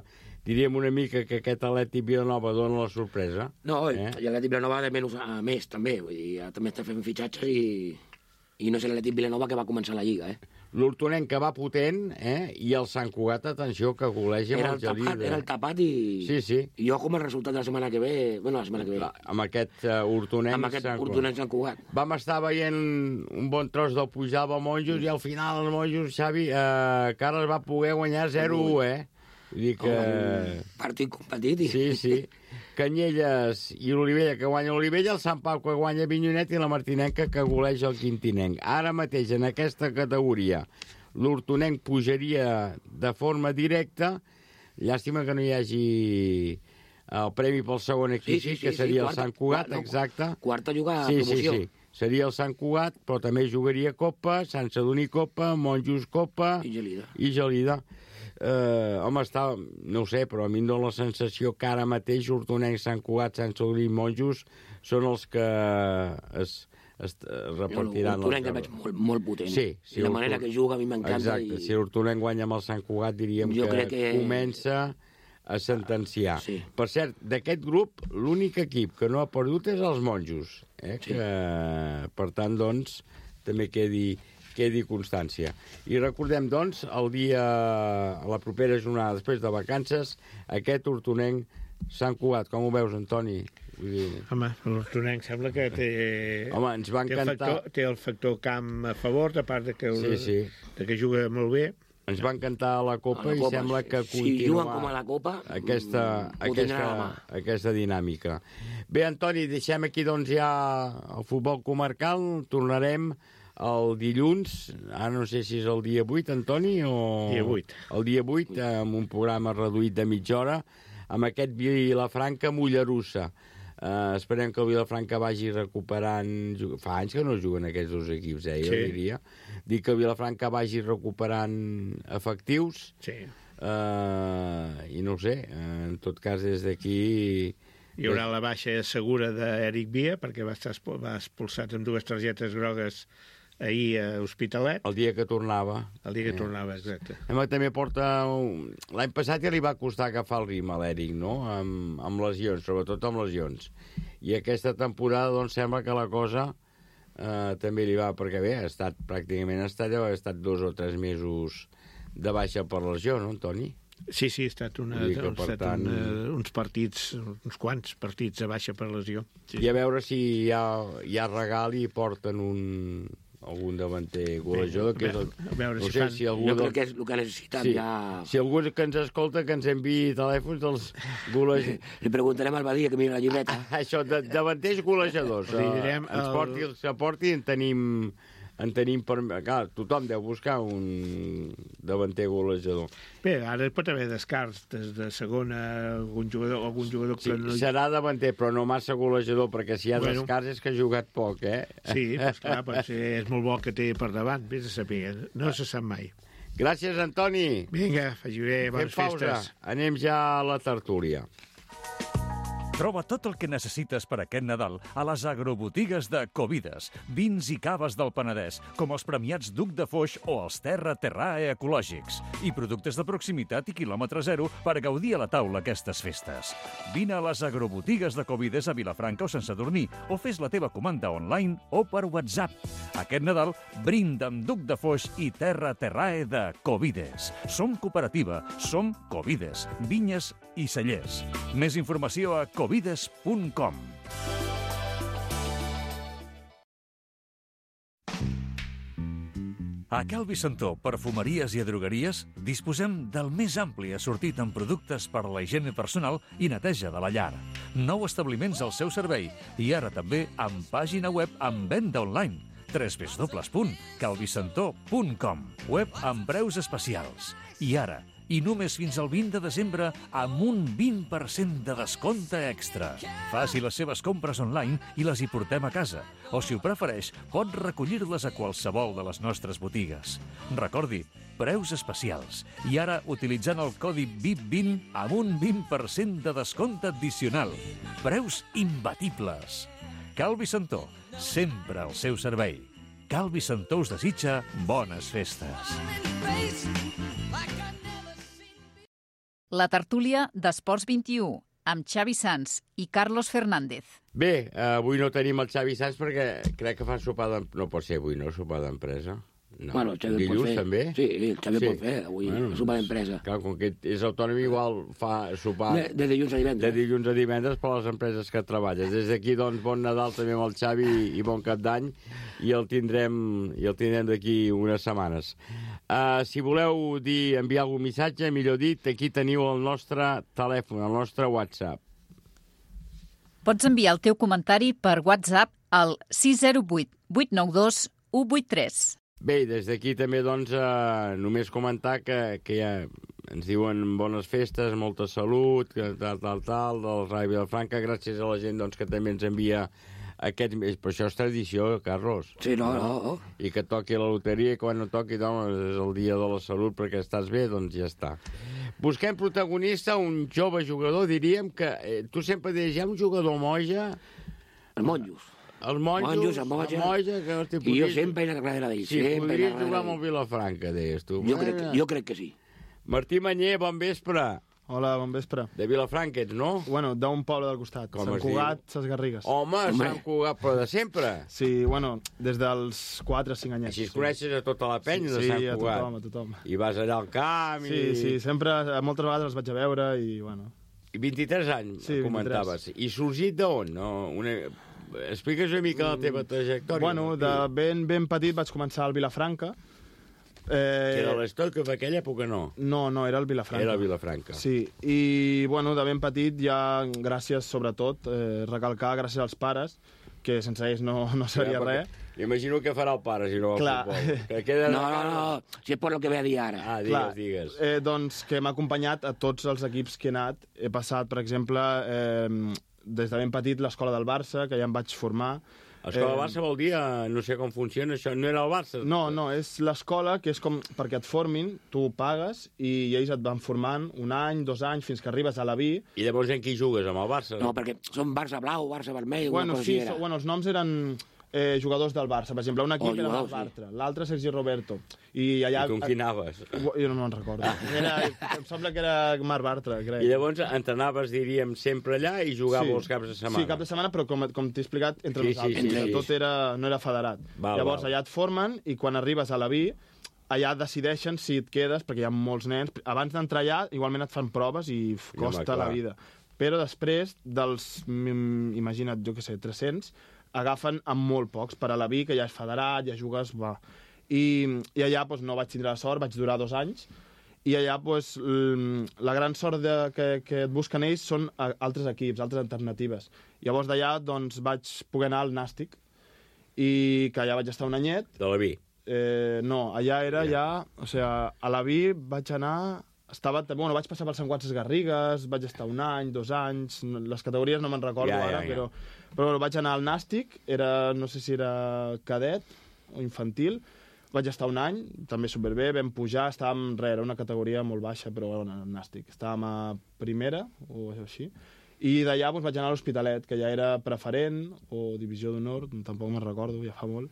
Speaker 2: diríem una mica que aquest Atlètic Vilanova dona la sorpresa.
Speaker 8: No, i l'Atlètic Vilanova de menys a més, també. Vull dir, també està fent fitxatges i no és l'Atlètic Vilanova que va començar la Lliga,
Speaker 2: L'Hortonenc que va potent, i el Sant Cugat, atenció, que goleja amb el Gelida.
Speaker 8: Era el tapat i...
Speaker 2: Sí.
Speaker 8: I jo com el resultat de la setmana que ve... Bueno, la setmana que ve.
Speaker 2: Amb aquest Hortonenc
Speaker 8: Sant Cugat.
Speaker 2: Vam estar veient un bon tros del Puigdàlber Monjos i al final el Monjos, Xavi, Carles va poder guanyar 0-1, Vull dir que...
Speaker 8: Partit competit.
Speaker 2: Sí. Canyelles i l'Olivella que guanya l'Olivella, el Sant Pau que guanya Avinyonet i la Martinenca que goleja el Quintinenc. Ara mateix, en aquesta categoria, l'Hortonenc pujaria de forma directa. Llàstima que no hi hagi el premi pel segon equip, que seria el Sant Cugat, exacte.
Speaker 8: Quarta juga a promoció.
Speaker 2: Sí. Seria el Sant Cugat, però també jugaria Copa, Sant Sadurní Copa, Monjos Copa i Gelida. Home, no ho sé, però a mi em dóna la sensació que ara mateix Hortonenc, Sant Cugat, Sant Sadurní i Monjos són els que es repartiran.
Speaker 8: L'Hortonenc el veig molt potent.
Speaker 2: Sí,
Speaker 8: la manera que juga a mi m'encanta.
Speaker 2: Exacte, si l'Hortonenc guanya amb el Sant Cugat diríem que comença a sentenciar. Per cert, d'aquest grup, l'únic equip que no ha perdut és els Monjos, que per tant, doncs, també quedi constància. I recordem, doncs, el dia, a la propera jornada, després de vacances, aquest Hortonenc Sant Cugat. Com ho veus, Antoni?
Speaker 4: Home, l'Hortonenc sembla que té...
Speaker 2: Home, ens va encantar...
Speaker 4: Té el factor camp a favor, a part de que juga molt bé.
Speaker 2: Ens va encantar la Copa i sembla que continua...
Speaker 8: Si juguen com a la Copa,
Speaker 2: aquesta dinàmica. Bé, Antoni, deixem aquí, doncs, ja el futbol comarcal. Tornarem el dilluns, ara no sé si és el dia 8, Antoni, o...
Speaker 4: Dia 8.
Speaker 2: El dia 8, amb un programa reduït de mitja hora, amb aquest Vilafranca-Mollerussa. Esperem que el Vilafranca vagi recuperant... Fa anys que no juguen aquests dos equips, jo diria. Dic que el Vilafranca vagi recuperant efectius.
Speaker 4: Sí.
Speaker 2: I no ho sé, en tot cas, des d'aquí...
Speaker 4: Hi haurà la baixa segura d'Eric Via, perquè va expulsat amb 2 targetes grogues ahir a Hospitalet.
Speaker 2: El dia que tornava.
Speaker 4: El dia que tornava, exacte.
Speaker 2: També porta... L'any passat ja li va costar agafar el ritme a l'Eric, no? Amb lesions, sobretot amb lesions. I aquesta temporada, doncs, sembla que la cosa també li va... Perquè bé, ha estat 2 o 3 mesos de baixa per lesió, no, Antoni?
Speaker 4: Sí, ha estat uns partits, uns quants partits a baixa per lesió.
Speaker 2: I a veure si hi ha regal i porten algun davanter golejador, que és el...
Speaker 8: No sé si algú... Jo crec que és el que ha necessitat ja...
Speaker 2: Si algú que ens escolta, que ens enviï telèfons dels golejadors...
Speaker 8: Li preguntarem al Badia, que mira la llibreta.
Speaker 2: Això, davanters golejadors. Ens aporti, en tenim per... Clar, tothom deu buscar un davanter golejador.
Speaker 4: Bé, ara pot haver descarts des de segona, algun jugador que no...
Speaker 2: Serà davanter, però no massa golejador, perquè si hi ha descarts és que ha jugat poc,
Speaker 4: Sí, doncs clar, és molt bo que té per davant, vés a saber, no se sap mai.
Speaker 2: Gràcies, Antoni.
Speaker 4: Vinga, faci bé, bones festes.
Speaker 2: Anem ja a la tertúlia.
Speaker 1: Troba tot el que necessites per aquest Nadal a les agrobotigues de Covides. Vins i caves del Penedès, com els premiats Duc de Foix o els Terrae ecològics. I productes de proximitat i quilòmetre zero per gaudir a la taula aquestes festes. Vine a les agrobotigues de Covides a Vilafranca o Sant Sadurní o fes la teva comanda online o per WhatsApp. Aquest Nadal brinda amb Duc de Foix i Terrae de Covides. Som cooperativa, som Covides, vinyes i cellers. Més informació a covides.com. A Cal Vicentó, perfumeries i drogueries, disposem del més ampli assortit en productes per a la higiene personal i neteja de la llar. 9 establiments al seu servei i ara també amb pàgina web amb venda online. www.calvicentó.com. Web amb preus especials. I ara, i només fins al 20 de desembre, amb un 20% de descompte extra. Faci les seves compres online i les hi portem a casa. O, si ho prefereix, pot recollir-les a qualsevol de les nostres botigues. Recordi, preus especials. I ara, utilitzant el codi VIP20 amb un 20% de descompte addicional. Preus imbatibles. Cal Vicentó, sempre al seu servei. Cal Vicentó us desitja bones festes.
Speaker 3: La tertúlia d'Esports 21, amb Xavi Sans i Carlos Fernández.
Speaker 2: Bé, avui no tenim el Xavi Sans perquè crec que fa sopar d'empresa. No pot ser avui, no? Sopar d'empresa. No.
Speaker 8: Bueno, el Xavi
Speaker 2: dilluns,
Speaker 8: pot fer.
Speaker 2: també?
Speaker 8: Sí, el Xavi pot fer, avui, sopar d'empresa.
Speaker 2: Clar, com que és autònom, igual fa sopar...
Speaker 8: De dilluns a divendres.
Speaker 2: De dilluns a divendres per les empreses que treballes. Des d'aquí, doncs, bon Nadal també amb el Xavi i bon Cap d'Any, i el tindrem d'aquí unes setmanes. Si voleu enviar algun missatge, millor dit, aquí teniu el nostre telèfon, el nostre WhatsApp.
Speaker 3: Pots enviar el teu comentari per WhatsApp al 608 892 183.
Speaker 2: Bé, des d'aquí també, doncs, només comentar que ja ens diuen bones festes, molta salut, tal, del Rai Vilafranca, gràcies a la gent, doncs, que també ens envia aquest... Però això és tradició, Carlos.
Speaker 8: Sí, no.
Speaker 2: I que toqui la loteria, i quan no toqui, doncs, és el dia de la salut, perquè estàs bé, doncs ja està. Busquem protagonista, un jove jugador, diríem que... Tu sempre deies, hi ha un jugador moja...
Speaker 8: Els monjos.
Speaker 2: Els monjos,
Speaker 8: el moja,
Speaker 2: que
Speaker 8: i jo sempre he anat darrere d'ells.
Speaker 2: Sí, podries jugar amb el Vilafranca, deies tu.
Speaker 8: Jo crec que sí.
Speaker 2: Martí Manyer, bon vespre.
Speaker 16: Hola, bon vespre.
Speaker 2: De Vilafranca ets, no?
Speaker 16: Bueno, d'un poble del costat. Sant Cugat, Ses Garrigues.
Speaker 2: Home, Sant Cugat, però de sempre?
Speaker 16: Sí, bueno, des dels 4 o 5 anyets.
Speaker 2: Així es coneixes a tota la penya de Sant Cugat?
Speaker 16: Sí, a tothom.
Speaker 2: I vas allà al camp i...
Speaker 16: Sí, sempre, moltes vegades els vaig a veure i, bueno...
Speaker 2: I 23 anys, comentaves. I sorgit d'on? Explica'ns una mica la teva trajectòria.
Speaker 16: Bueno, de ben petit vaig començar al Vilafranca.
Speaker 2: Que era l'Estoc, en aquella època no?
Speaker 16: No, era el Vilafranca.
Speaker 2: Era el Vilafranca.
Speaker 16: Sí, i bueno, de ben petit ja, gràcies sobretot, recalcar gràcies als pares, que sense ells no seria res.
Speaker 2: Imagino que farà el pare, si no va al futbol.
Speaker 8: No, si és per lo que ve a dir ara.
Speaker 2: Digues.
Speaker 16: Doncs que m'ha acompanyat a tots els equips que he anat. He passat, per exemple, des de ben petit l'escola del Barça, que ja em vaig formar.
Speaker 2: L'escola del Barça vol dir, no sé com funciona això, no era el Barça?
Speaker 16: No, és l'escola que és com perquè et formin, tu pagues i ells et van formant 1 any, 2 anys, fins que arribes a la B.
Speaker 2: I llavors en qui jugues, amb el Barça?
Speaker 8: No, perquè són Barça blau, Barça vermell...
Speaker 16: Bueno, sí, els noms eren jugadors del Barça. Per exemple, un equip era el Bartra, l'altre Sergi Roberto. I
Speaker 2: com qui anaves?
Speaker 16: Jo no me'n recordo. Em sembla que era Marc Bartra, crec.
Speaker 2: I llavors entrenaves, diríem, sempre allà i jugàveu els caps de setmana?
Speaker 16: Sí, cap de setmana, però com t'he explicat, entre nosaltres. Tot no era federat. Llavors, allà et formen i quan arribes a la B, allà decideixen si et quedes, perquè hi ha molts nens. Abans d'entrar allà, igualment et fan proves i costa la vida. Però després dels, imagina't, jo què sé, 300, agafen amb molt pocs per a la B, que ja és federat, ja jugues... I allà no vaig tindre la sort, vaig durar 2 anys, i allà la gran sort que et busquen ells són altres equips, altres alternatives. Llavors d'allà vaig poder anar al Nàstic, i que allà vaig estar 1 anyet.
Speaker 2: De la B?
Speaker 16: No, allà era ja... O sigui, a la B vaig anar... vaig passar pel Sant Cugat Ses Garrigues, vaig estar 1 any, 2 anys, les categories no me'n recordo ara, però vaig anar al Nàstic, no sé si era cadet o infantil, vaig estar 1 any, també superbé, vam pujar, estàvem, era una categoria molt baixa, però bueno, al Nàstic, estàvem a primera, o així, i d'allà vaig anar a l'Hospitalet, que ja era preferent, o divisió d'honor, tampoc me'n recordo, ja fa molt,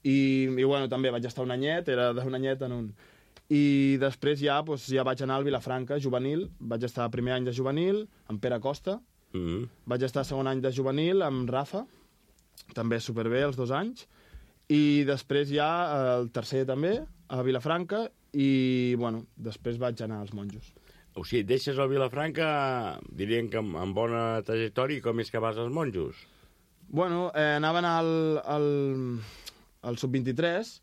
Speaker 16: i bueno, també vaig estar 1 anyet, era d'1 anyet en un... I després ja vaig anar al Vilafranca, juvenil, vaig estar primer any de juvenil, amb Pere Costa, vaig estar 2è any de juvenil amb Rafa, també superbé els 2 anys, i després ja el 3è també, a Vilafranca, i bueno, després vaig anar als monjos.
Speaker 2: O sigui, deixes el Vilafranca, dirien que amb bona trajectòria, i com és que vas als monjos?
Speaker 16: Bueno, anaven al sub-23,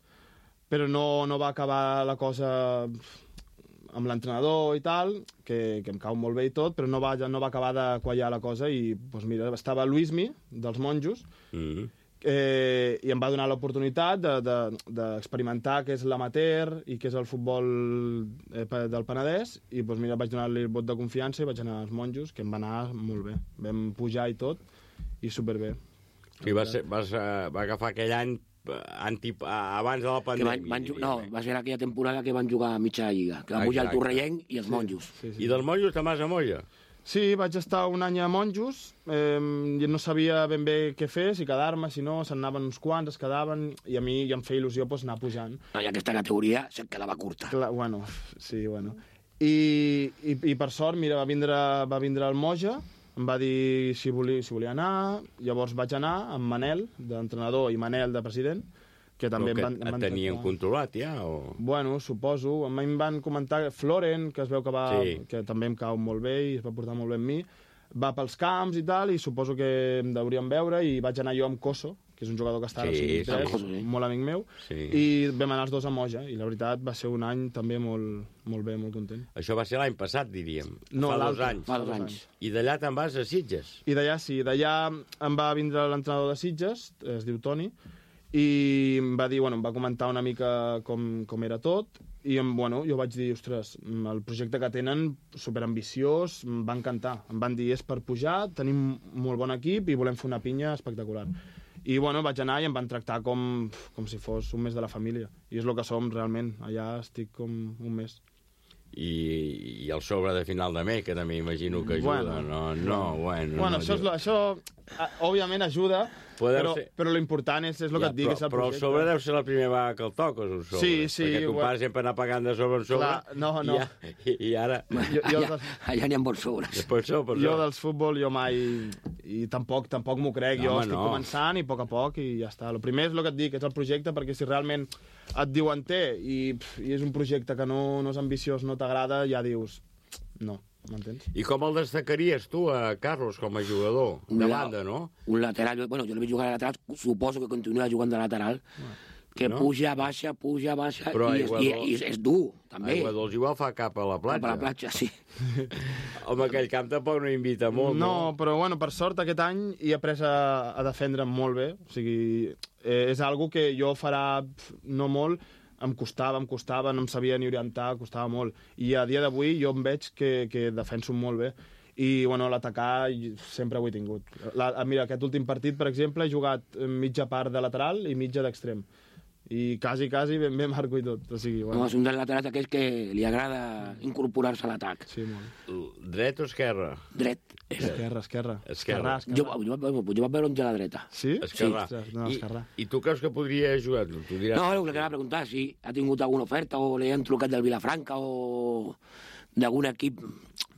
Speaker 16: però no va acabar la cosa amb l'entrenador i tal, que em cau molt bé i tot, però no va acabar de quallar la cosa i, doncs mira, estava Luismi, dels Monjos, i em va donar l'oportunitat d'experimentar què és l'amateur i què és el futbol del Penedès, i doncs mira, vaig donar-li el vot de confiança i vaig anar als Monjos, que em va anar molt bé. Vam pujar i tot, i superbé.
Speaker 2: I va agafar aquell any abans de la pandèmia.
Speaker 8: Va ser aquella temporada que van jugar a mitja lliga, que van pujar el Torrellenc i els Monjos.
Speaker 2: I dels Monjos te'n vas a Molla?
Speaker 16: Sí, vaig estar un any a Monjos, i no sabia ben bé què fer, si quedar-me, si no, se'n anaven uns quants, es quedaven, i a mi em feia il·lusió anar pujant.
Speaker 8: I aquesta categoria se't quedava curta.
Speaker 16: Bueno, sí, bueno. I per sort, mira, va vindre el Moja, em va dir si volia anar, llavors vaig anar amb Manel, d'entrenador, i Manel, de president, que també
Speaker 2: et tenien controlat ja?
Speaker 16: Bueno, suposo. A mi em van comentar Floren, que es veu que també em cau molt bé i es va portar molt bé amb mi, va pels camps i tal, i suposo que em deuríem veure, i vaig anar jo amb Coso, que és un jugador que està al 53, molt amic meu, i vam anar els dos a Moja, i la veritat va ser un any també molt bé, molt content.
Speaker 2: Això va ser l'any passat, diríem.
Speaker 16: No,
Speaker 2: fa 2 anys.
Speaker 8: Fa 2 anys.
Speaker 2: I d'allà te'n vas a Sitges?
Speaker 16: I d'allà sí, d'allà em va vindre l'entrenador de Sitges, es diu Toni, i em va dir, em va comentar una mica com era tot, i jo vaig dir, ostres, el projecte que tenen, superambiciós, em va encantar. Em van dir, és per pujar, tenim molt bon equip i volem fer una pinya espectacular. I vaig anar i em van tractar com si fos un mes de la família. I és el que som realment, allà estic com un mes.
Speaker 2: I el sobre de final de mes, que també imagino que ajuda.
Speaker 16: Això òbviament ajuda, però l'important és el que et dic, és el projecte.
Speaker 2: Però el sobre deu ser la primera vegada que el toques, un sobre.
Speaker 16: Sí.
Speaker 2: Perquè ton pare sempre anar pagant de sobre en sobre.
Speaker 16: No.
Speaker 2: I ara...
Speaker 8: Allà n'hi ha bons sobres.
Speaker 16: Jo dels futbol, jo mai... I tampoc m'ho crec. Jo estic començant i a poc, i ja està. El primer és el que et dic, és el projecte, perquè si realment et diuen i és un projecte que no és ambiciós, no t'agrada, ja dius... No. M'entens?
Speaker 2: I com el destacaries tu, Carlos, com a jugador? De banda, no?
Speaker 8: Un lateral, jo l'he vist jugar de lateral, suposo que continua jugant de lateral, que puja, baixa, i és dur, també.
Speaker 2: Aigua Dols igual fa cap a la platja.
Speaker 8: Cap a la platja, sí.
Speaker 2: Home, aquell camp tampoc no invita molt, no?
Speaker 16: No, però per sort aquest any he après a defendre molt bé, o sigui, és algo que jo farà no molt. Em costava, no em sabia ni orientar, costava molt. I a dia d'avui jo em veig que defenso molt bé. I, l'atacar sempre ho he tingut. Mira, aquest últim partit, per exemple, he jugat mitja part de lateral i mitja d'extrem. I quasi ben bé marco i tot. O sigui,
Speaker 8: és un dels laterals aquells que li agrada incorporar-se a l'atac.
Speaker 16: Sí, molt.
Speaker 2: Dret o esquerra?
Speaker 8: Dret.
Speaker 16: Esquerra.
Speaker 8: Jo vaig veure on té la dreta.
Speaker 16: Sí?
Speaker 2: Esquerra.
Speaker 16: Esquerra.
Speaker 2: I tu creus que podria jugar?
Speaker 8: No, el que anava a preguntar, si ha tingut alguna oferta o li han trucat del Vilafranca o d'algun equip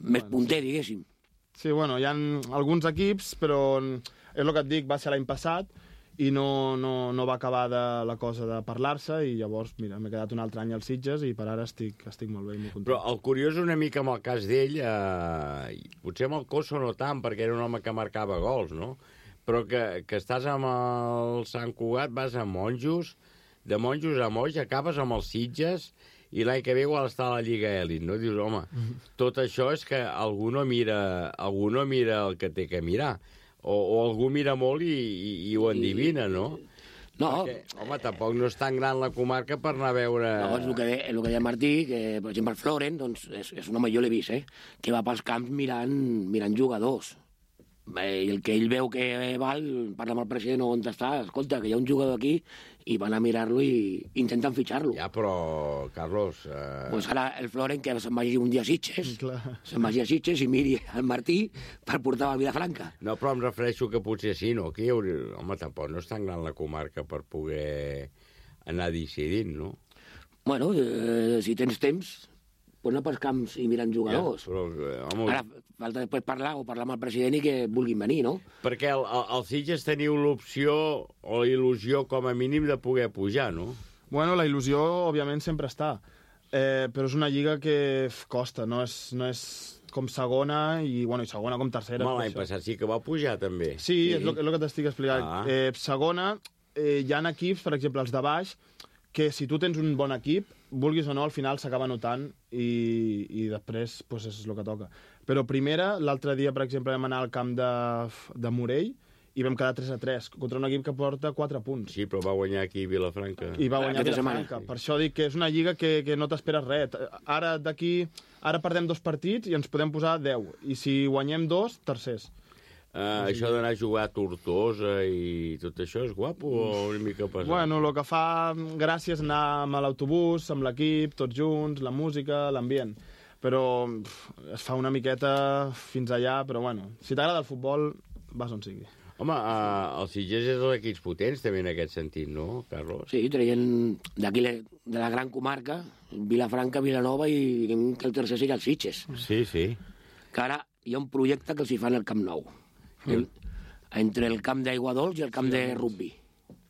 Speaker 8: més punter, diguéssim.
Speaker 16: Sí, hi ha alguns equips, però és el que et dic, va ser l'any passat, i no va acabar la cosa de parlar-se, i llavors, mira, m'he quedat un altre any als Sitges i per ara estic molt bé, molt content.
Speaker 2: Però el curiós una mica amb el cas d'ell, potser amb el Coso no tant, perquè era un home que marcava gols, no? Però que estàs amb el Sant Cugat, vas a Monjos, de Monjos a Moix, acabes amb els Sitges, i l'any que ve igual està a la Lliga Elit, no? Dius, home, tot això és que algú no mira el que té que mirar. O algú mira molt i ho endivina, no?
Speaker 8: No.
Speaker 2: Perquè, home, tampoc no és tan gran la comarca per anar a veure...
Speaker 8: No, és el que deia Martí, que, per exemple, el Floren, doncs, és un home, jo l'he vist, que va pels camps mirant jugadors. I el que ell veu que val, parla amb el president on està, escolta, que hi ha un jugador aquí, i van a mirar-lo i intenten fitxar-lo.
Speaker 2: Ja, però, Carlos...
Speaker 8: Pues ara el Floren, que se'n vagi un dia a Sitges, i miri el Martí per portar a Vilafranca.
Speaker 2: No, però em refereixo que potser sí, no? Aquí, home, tampoc no és tan gran la comarca per poder anar decidint, no?
Speaker 8: Bueno, si tens temps, pues anar pels camps i mirant jugadors.
Speaker 2: Ja, però, home...
Speaker 8: Ara falta després parlar amb el president i que vulguin venir, no?
Speaker 2: Perquè als Sitges teniu l'opció o la il·lusió, com a mínim, de poder pujar, no?
Speaker 16: Bueno, la il·lusió, òbviament, sempre està. Però és una lliga que costa, no és com segona i segona com tercera.
Speaker 2: L'any passat sí que va pujar, també.
Speaker 16: Sí, és el que t'estic explicant. Segona, hi ha equips, per exemple, els de baix, que si tu tens un bon equip, vulguis o no, al final s'acaba notant i després pues, és el que toca. Però primera, l'altre dia, per exemple, vam anar al camp de Morell i vam quedar 3-3 contra un equip que porta 4 punts.
Speaker 2: Sí, però va guanyar aquí Vilafranca.
Speaker 16: I va guanyar Vilafranca. Per això dic que és una lliga que no t'esperes res. Ara perdem 2 partits i ens podem posar 10. I si guanyem 2, tercers.
Speaker 2: Això d'anar a jugar a Tortosa i tot això és guapo o una mica pesat?
Speaker 16: Bueno, el que fa gràcia és anar amb l'autobús, amb l'equip, tots junts, la música, l'ambient. Però es fa una miqueta fins allà, però bueno, si t'agrada el futbol, vas on sigui.
Speaker 2: Home, els Sitges és els equips potents també en aquest sentit, no, Carlos?
Speaker 8: Sí, traient d'aquí de la gran comarca, Vilafranca, Vilanova i que el tercer sigui els Sitges.
Speaker 2: Sí, sí.
Speaker 8: Que ara hi ha un projecte que els hi fan al Camp Nou. Entre el camp d'Aigua Dols i el camp de rugby.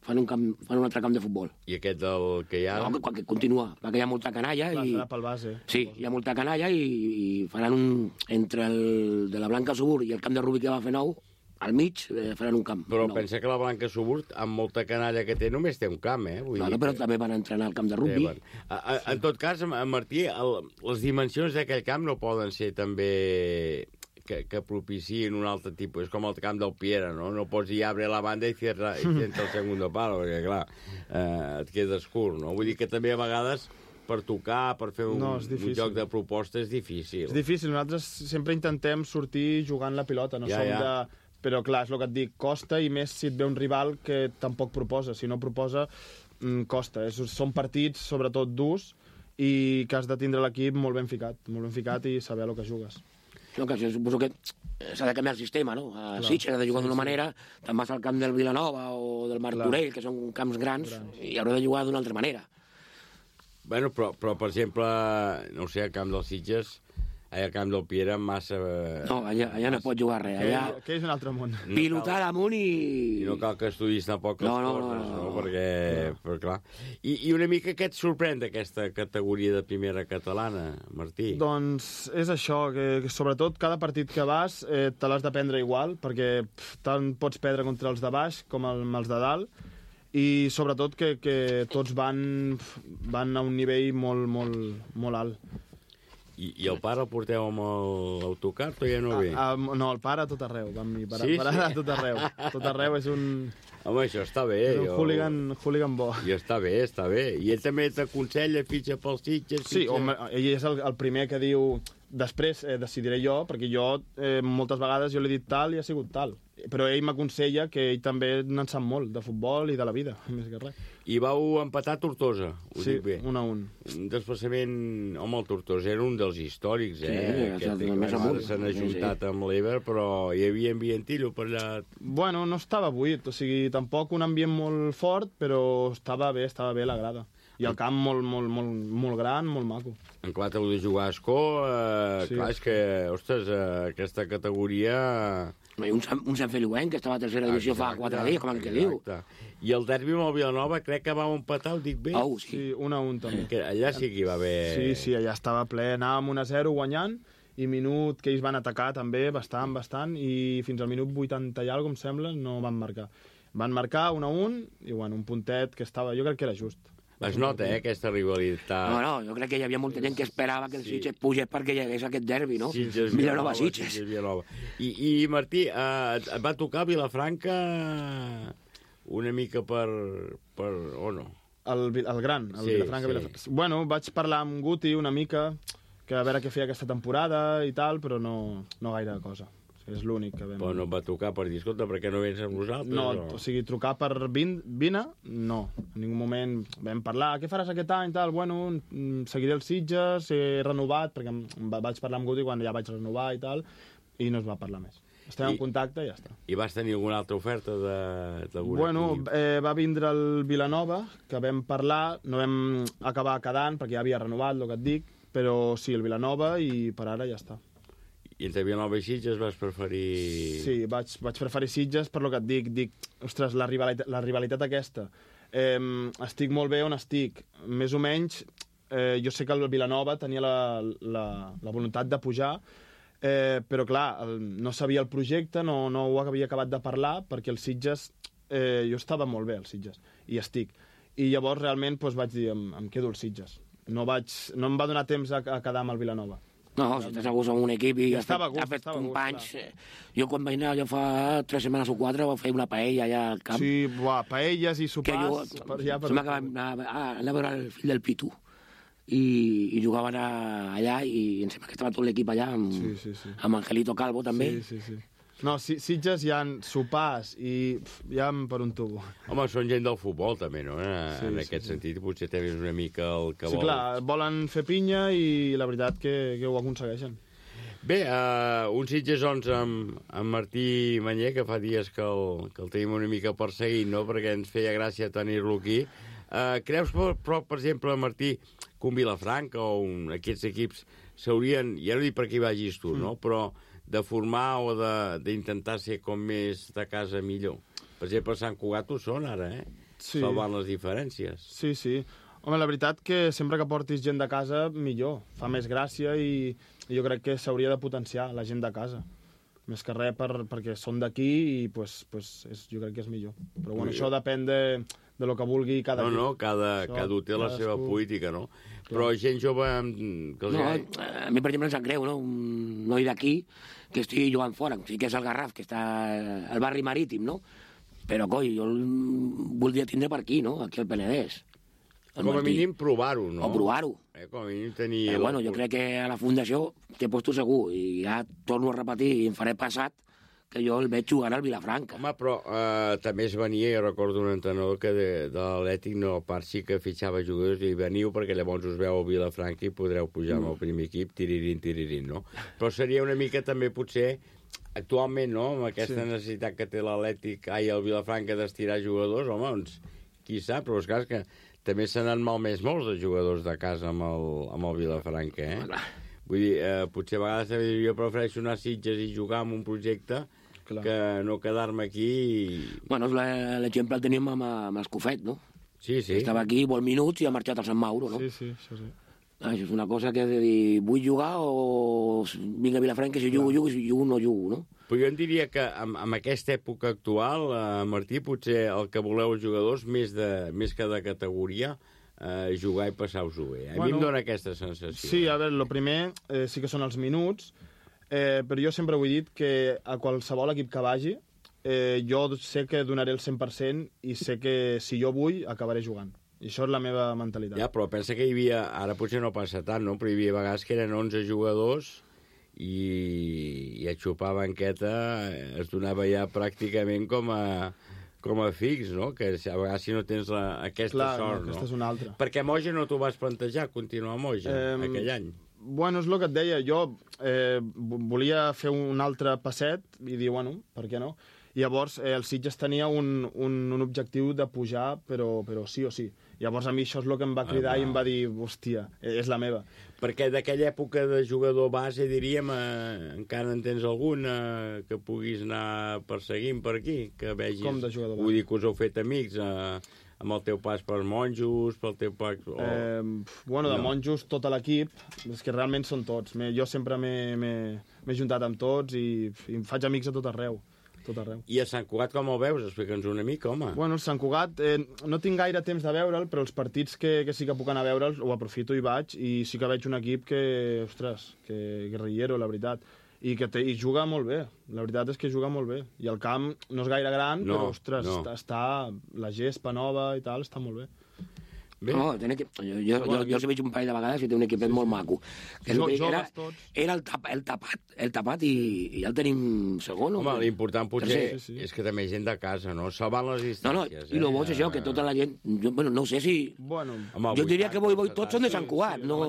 Speaker 8: Fan un altre camp de futbol.
Speaker 2: I aquest del que hi ha?
Speaker 8: No, que continua, perquè hi ha molta canalla.
Speaker 16: Clar, serà pel base.
Speaker 8: Sí, hi ha molta canalla i faran entre el de la Blanca Subur i el camp de rugby que va fer nou, al mig faran un camp.
Speaker 2: Però pensa que la Blanca Subur, amb molta canalla que té, només té un camp, eh?
Speaker 8: Però també van entrenar al camp de rugby.
Speaker 2: En tot cas, Martí, les dimensions d'aquell camp no poden ser també que propicien un altre tipus. És com el camp del Piera, no? No pots dir abre la banda i cierra el segundo palo, perquè, clar, et quedes curt, no? Vull dir que també a vegades per tocar, per fer un joc de proposta és difícil.
Speaker 16: És difícil. Nosaltres sempre intentem sortir jugant la pilota, no som de... Però, clar, és el que et dic, costa, i més si et ve un rival que tampoc proposa. Si no proposa, costa. Són partits, sobretot, durs, i que has de tindre l'equip molt ben ficat i saber el que jugues.
Speaker 8: No, que suposo que s'ha de canviar el sistema, no? A Sitges ha de jugar d'una manera, te'n vas al camp del Vilanova o del Martorell, que són camps grans, i haurà de jugar d'una altra manera.
Speaker 2: Bueno, però per exemple, no sé, al camp dels Sitges, al camp del Piera, massa...
Speaker 8: No, allà no pot jugar res.
Speaker 16: Que és un altre món.
Speaker 8: Pilotar amunt
Speaker 2: i no cal que estudis tampoc les coses, no? Perquè, però clar... I una mica què et sorprèn d'aquesta categoria de primera catalana, Martí?
Speaker 16: Doncs és això, que sobretot cada partit que vas te l'has de prendre igual, perquè tant pots perdre contra els de baix com els de dalt, i sobretot que tots van a un nivell molt alt.
Speaker 2: I el pare el porteu amb l'autocar o ja no ve?
Speaker 16: No, el pare a tot arreu. A tot arreu. A tot arreu és un...
Speaker 2: Home, això està bé.
Speaker 16: És un hooligan bo.
Speaker 2: I està bé. I ell també t'aconsella, fitxa pels Sitges...
Speaker 16: Sí, home, ell és el primer que diu... Després decidiré jo, perquè jo moltes vegades jo l'he dit tal i ha sigut tal. Però ell m'aconsella que ell també n'en sap molt, de futbol i de la vida, més que res.
Speaker 2: I vau empatar Tortosa, ho dic bé.
Speaker 16: 1-1.
Speaker 2: Un desplaçament... Home, el Tortosa era un dels històrics,
Speaker 8: Sí, més amunt.
Speaker 2: S'han ajuntat amb l'Ever, però hi havia ambientillo per allà...
Speaker 16: Bueno, no estava buit, o sigui, tampoc un ambient molt fort, però estava bé la grada. I el camp molt gran, molt maco.
Speaker 2: En clar, t'heu de jugar a Escó, clar, és que, ostres, aquesta categoria...
Speaker 8: Un Sant Feliuenc, que estava a tercera divisió fa 4 dies, com el que diu.
Speaker 2: I el derbi amb el Vilanova crec que va empatar, ho dic bé?
Speaker 16: Sí, 1-1 també.
Speaker 2: Que allà sí que hi va haver...
Speaker 16: Sí, allà estava ple, anàvem 1-0 guanyant, i minut que ells van atacar també, bastant, i fins al minut 80 i alguna, em sembla, no van marcar. Van marcar 1-1, i bueno, un puntet que estava, jo crec que era just.
Speaker 2: Es nota, aquesta rivalitat.
Speaker 8: No, jo crec que hi havia molta gent que esperava que el Sitges pugés perquè hi hagués aquest derbi, no? Vilanova-Sitges.
Speaker 2: I Martí, et va tocar Vilafranca una mica per o no?
Speaker 16: El gran, Vilafranca. Bueno, vaig parlar amb Guti una mica, que a veure què feia aquesta temporada i tal, però no gaire cosa. És l'únic que vam...
Speaker 2: Però no et va trucar per dir, escolta, per què no vens amb nosaltres?
Speaker 16: No, o sigui, trucar per vine, no. En ningú moment vam parlar, què faràs aquest any, tal? Bueno, seguiré els Sitges, he renovat, perquè vaig parlar amb Guti quan ja vaig renovar i tal, i no es va parlar més. Estem en contacte i ja està.
Speaker 2: I vas tenir alguna altra oferta d'algun
Speaker 16: Bueno, va vindre el Vilanova, que vam parlar, no vam acabar quedant, perquè ja havia renovat, el que et dic, però sí, el Vilanova, i per ara ja està.
Speaker 2: I entre Vilanova i Sitges vas preferir...
Speaker 16: Sí, vaig preferir Sitges per lo que et dic, ostres, la rivalitat aquesta. Estic molt bé on estic. Més o menys, jo sé que el Vilanova tenia la voluntat de pujar, però clar, no sabia el projecte, no ho havia acabat de parlar, perquè el Sitges... Jo estava molt bé, el Sitges, i estic. i llavors realment vaig dir, em quedo al Sitges. No em va donar temps a quedar amb el Vilanova.
Speaker 8: No, si estàs a gust en un equip i has fet
Speaker 16: companys...
Speaker 8: Jo quan vaig anar allò fa 3 setmanes o 4 vaig fer una paella allà al camp.
Speaker 16: Sí, paelles i sopars...
Speaker 8: Sembla que vam anar a veure el fill del Pitu i jugaven allà i em sembla que estava tot l'equip allà amb Angelito Calvo també.
Speaker 16: Sí. No, Sitges hi ha sopars i hi ha per un tubo.
Speaker 2: Home, són gent del futbol, també, no? En aquest sentit, potser també és una mica el que
Speaker 16: volen... Sí, clar, volen fer pinya i la veritat que ho aconsegueixen.
Speaker 2: Bé, un Sitges 11 amb Martí Manyer, que fa dies que el tenim una mica perseguint, no?, perquè ens feia gràcia tenir-lo aquí. Creus, però, per exemple, Martí, que un Vilafranca o aquests equips s'haurien, ja no dic perquè hi vagis tu, no?, però de formar o d'intentar ser com més de casa millor. Per exemple, Sant Cugat ho són ara, salvant les diferències.
Speaker 16: Sí. Home, la veritat que sempre que portis gent de casa, millor. Fa més gràcia i jo crec que s'hauria de potenciar la gent de casa. Més que res perquè són d'aquí i jo crec que és millor. Però bueno, això depèn de lo que vulgui cada equip.
Speaker 2: No, cada té la seva política, no? Però gent jove...
Speaker 8: a mi, per exemple, em sap greu, no? Un noi d'aquí que estigui jugant fora. Sí que és el Garraf, que està al barri marítim, no? Però, coi, jo el voldria tindre per aquí, no? Aquí al Penedès.
Speaker 2: Com a mínim provar-ho, no?
Speaker 8: O provar-ho.
Speaker 2: Com a mínim tenir...
Speaker 8: Bueno, jo crec que a la Fundació t'he posat segur, i ja torno a repetir i em faré passat, que jo el veig jugant al Vilafranca.
Speaker 2: Home, però també es venia, jo recordo un entrenador que de l'Atlètic no part sí que fitxava jugadors i veniu perquè llavors us veu al Vilafranca i podreu pujar amb el primer equip, tiririn, no? Però seria una mica també potser, actualment, no?, amb aquesta necessitat que té l'Atlètic, el Vilafranca d'estirar jugadors, home, doncs, qui sap, però és clar que també se n'han malmès molts de jugadors de casa amb el Vilafranca, Vull dir, potser a vegades jo prefereixo anar a Sitges i jugar en un projecte que no quedar-me aquí...
Speaker 8: Bueno, l'exemple el tenim amb Escofet, no?
Speaker 2: Sí.
Speaker 8: Estava aquí molt minuts i ha marxat al Sant Mauro, no?
Speaker 16: Sí, això sí.
Speaker 8: Això és una cosa que has de dir, vull jugar o vinc a Vilafranca, si jugo, si jugo no jugo, no?
Speaker 2: Però jo em diria que en aquesta època actual, Martí, potser el que voleu els jugadors, més que de categoria, jugar i passar-vos-ho bé. A mi em dóna aquesta sensació.
Speaker 16: Sí, a veure, el primer sí que són els minuts, però jo sempre ho he dit que a qualsevol equip que vagi, jo sé que donaré el 100% i sé que si jo vull acabaré jugant. I això és la meva mentalitat.
Speaker 2: Ja, però pensa que hi havia, ara potser no passa tant, no? Però hi havia vegades que eren 11 jugadors i a xupar banqueta es donava ja pràcticament com a fix, no? Que a vegades si no tens aquesta sort, no?
Speaker 16: Aquesta és una altra.
Speaker 2: Perquè Moja no t'ho vas plantejar, continuar a Moja, aquell any?
Speaker 16: Bueno, és el que et deia. Jo volia fer un altre passet i dir, bueno, per què no? I llavors el Sitges tenia un objectiu de pujar, però sí o sí. Llavors a mi això és el que em va cridar i em va dir, hòstia, és la meva.
Speaker 2: Perquè d'aquella època de jugador base, diríem, encara en tens algun que puguis anar perseguint per aquí? Que vegis...
Speaker 16: Com de jugador base?
Speaker 2: Vull dir que us heu fet amics amb el teu pas per Monjos, pel teu pas...
Speaker 16: Bueno, de Monjos, tot l'equip, és que realment són tots. Jo sempre m'he juntat amb tots i em faig amics a tot arreu.
Speaker 2: I a Sant Cugat com el veus? Explica'ns una mica, home.
Speaker 16: Bueno, el Sant Cugat, no tinc gaire temps de veure'l, però els partits que sí que puc anar a veure'l, ho aprofito i vaig, i sí que veig un equip que, ostres, que guerrillero, la veritat, i juga molt bé. La veritat és que juga molt bé. I el camp no és gaire gran, però, ostres, està la gespa nova i tal, està molt bé.
Speaker 8: No, jo els veig un parell de vegades i té un equipet molt maco. Era el tapat i ja el tenim segon.
Speaker 2: Home, l'important potser és que també gent de casa, no? Salvant les distàncies.
Speaker 8: I el bo és això, que tota la gent... No sé si... Jo diria que tots són de Sant Cugat, no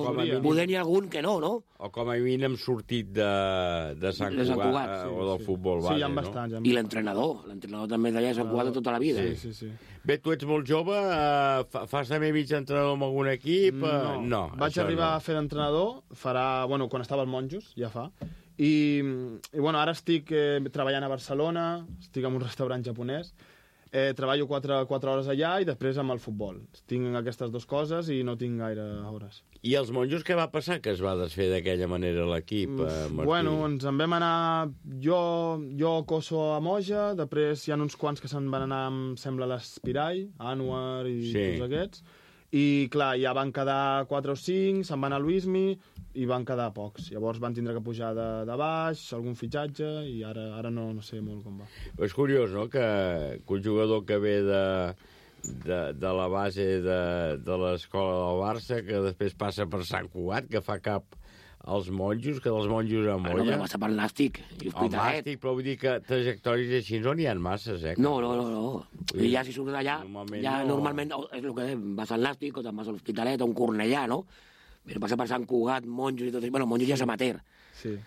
Speaker 8: poder n'hi algun que no, no?
Speaker 2: O com a mínim hem sortit de Sant Cugat o del futbol base, no?
Speaker 16: Sí, hi ha bastants.
Speaker 8: I l'entrenador també d'allà de Sant Cugat de tota la vida.
Speaker 16: Sí.
Speaker 2: Bé, tu ets molt jove, fas també mig entrenador amb algun equip? No.
Speaker 16: Vaig arribar a fer d'entrenador, quan estava al Monjos, ja fa. I bueno, ara estic treballant a Barcelona, estic en un restaurant japonès. treballo 4 hores allà i després amb el futbol. Tinc aquestes dues coses i no tinc gaire hores.
Speaker 2: I els monjos, què va passar que es va desfer d'aquella manera l'equip, Martí?
Speaker 16: Bueno, ens en vam anar... Jo Coso a Moja, després hi ha uns quants que se'n van anar, em sembla, a l'Espirall, Anwar i tots aquests. I, clar, ja van quedar 4 o 5, se'n van a Luismi i van quedar pocs. Llavors van tindre que pujar de baix, algun fitxatge, i ara no sé molt com va.
Speaker 2: És curiós, no?, que un jugador que ve de la base de l'escola del Barça, que després passa per Sant Cugat, que fa cap als monjos, que dels monjos a Molla...
Speaker 8: Bueno, passa per Nàstic i
Speaker 2: Hospitalet. El Nàstic, però vull dir que trajectòries així no n'hi ha masses,
Speaker 8: No. I ja si surts d'allà, normalment és el que vas al Nàstic, o te'n vas a l'Hospitalet, o un Cornellà, no? Però passa per Sant Cugat, monjos i tot això. Bueno, monjos ja és amateur.
Speaker 16: Sí.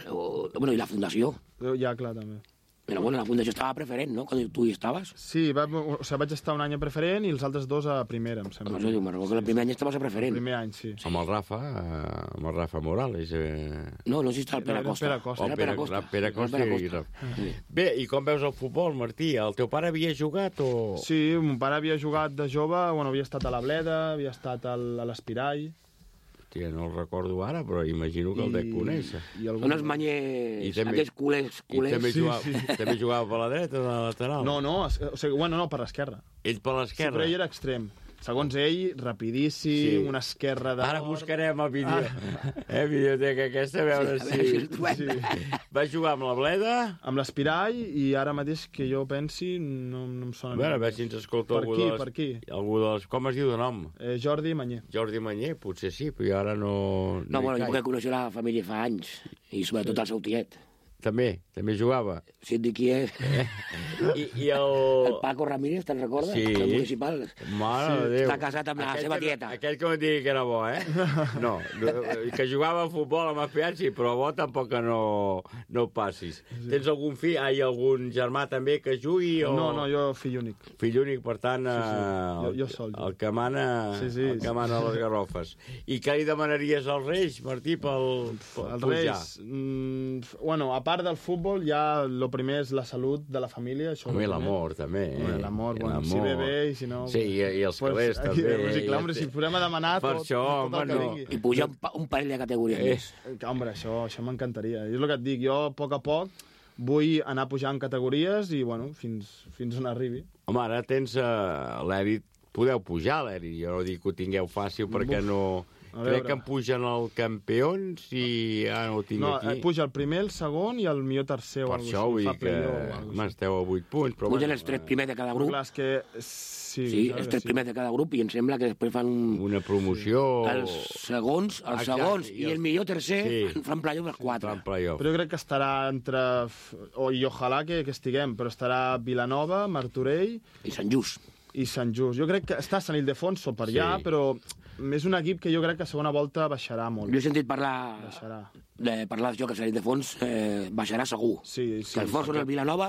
Speaker 8: Bueno, i la fundació.
Speaker 16: Ja, clar, també.
Speaker 8: Però bueno, la fundació estava preferent, no?, quan tu hi estaves.
Speaker 16: Sí, vaig estar un any a preferent i els altres 2 a primera, em sembla.
Speaker 8: No, me'n recordo que el primer any estaves a preferent.
Speaker 16: El primer any, sí.
Speaker 2: Amb el Rafa Morales.
Speaker 8: No sé si està el Pere Costa.
Speaker 2: Pere Costa. Bé, i com veus el futbol, Martí? El teu pare havia jugat o...?
Speaker 16: Sí, mon pare havia jugat de jove, havia estat a la Bleda, havia estat a l'Espirall.
Speaker 2: Hòstia, no el recordo ara, però imagino que el dec conèixer.
Speaker 8: Són els manyers, aquells culers.
Speaker 2: També jugava per la dreta o per la lateral?
Speaker 16: No, per l'esquerra.
Speaker 2: Ell per l'esquerra?
Speaker 16: Sí, però ell era extrem. Segons ell, rapidíssim, una esquerra de...
Speaker 2: Ara buscarem el vídeo. Videoteca aquesta, a veure si... Va jugar amb la Bleda?
Speaker 16: Amb l'Espirall, i ara mateix que jo pensi, no em sona...
Speaker 2: A veure si ens escolta algú de les...
Speaker 16: Per aquí.
Speaker 2: Com es diu de nom?
Speaker 16: Jordi Manyer.
Speaker 2: Jordi Manyer, potser sí, però jo ara no...
Speaker 8: No, bueno, jo que coneixo la família fa anys, i sobretot el seu tiet.
Speaker 2: També jugava.
Speaker 8: Sí, et dic qui és.
Speaker 2: I el
Speaker 8: Paco Ramírez, te'n recordes?
Speaker 2: Sí.
Speaker 8: El municipal.
Speaker 2: Mare de Déu.
Speaker 8: Està casat amb la seva tieta.
Speaker 2: Aquell que em digui que era bo, No, que jugava a futbol amb el sí, però bo tampoc que no passis. Tens algun fill, algun germà també que jugui?
Speaker 16: No, jo fill únic.
Speaker 2: Fill únic, per tant,
Speaker 16: jo sol.
Speaker 2: El que mana les garrofes. I què li demanaries als Reis, Martí, pel
Speaker 16: Els Reis, bueno, a part del futbol, ja el primer és la salut de la família.
Speaker 2: Home, l'amor, també.
Speaker 16: L'amor, si ve bé i si no...
Speaker 2: Sí, i els calés, també.
Speaker 16: Sí, clar, si podem demanar tot el que vingui.
Speaker 8: I pujar un parell de categories més.
Speaker 16: Home, això m'encantaria. És el que et dic, jo a poc vull anar pujant categories i, bueno, fins on arribi.
Speaker 2: Home, ara tens l'Èrit, podeu pujar l'Èrit, jo no dic que ho tingueu fàcil perquè no... Crec que em pugen el campions i ara no ho tinc aquí.
Speaker 16: No, puja el primer, el segon i el millor tercer.
Speaker 2: Per això vull dir que m'esteu a 8 punts.
Speaker 8: Pugen els 3 primers de cada grup.
Speaker 16: Clar, és que...
Speaker 8: Sí, els 3 primers de cada grup i em sembla que després fan...
Speaker 2: Una promoció...
Speaker 8: Els segons i el millor tercer fan playoff els 4.
Speaker 16: Però jo crec que estarà entre... I ojalà que estiguem, però estarà Vilanova, Martorell...
Speaker 8: I Sant Just.
Speaker 16: Jo crec que està Sant Ildefonso per allà, però... És un equip que jo crec que a segona volta baixarà molt.
Speaker 8: Jo he sentit parlar d'això, que el Sant Ildefons baixarà segur.
Speaker 16: Sí.
Speaker 8: Que els forts són el Vilanova,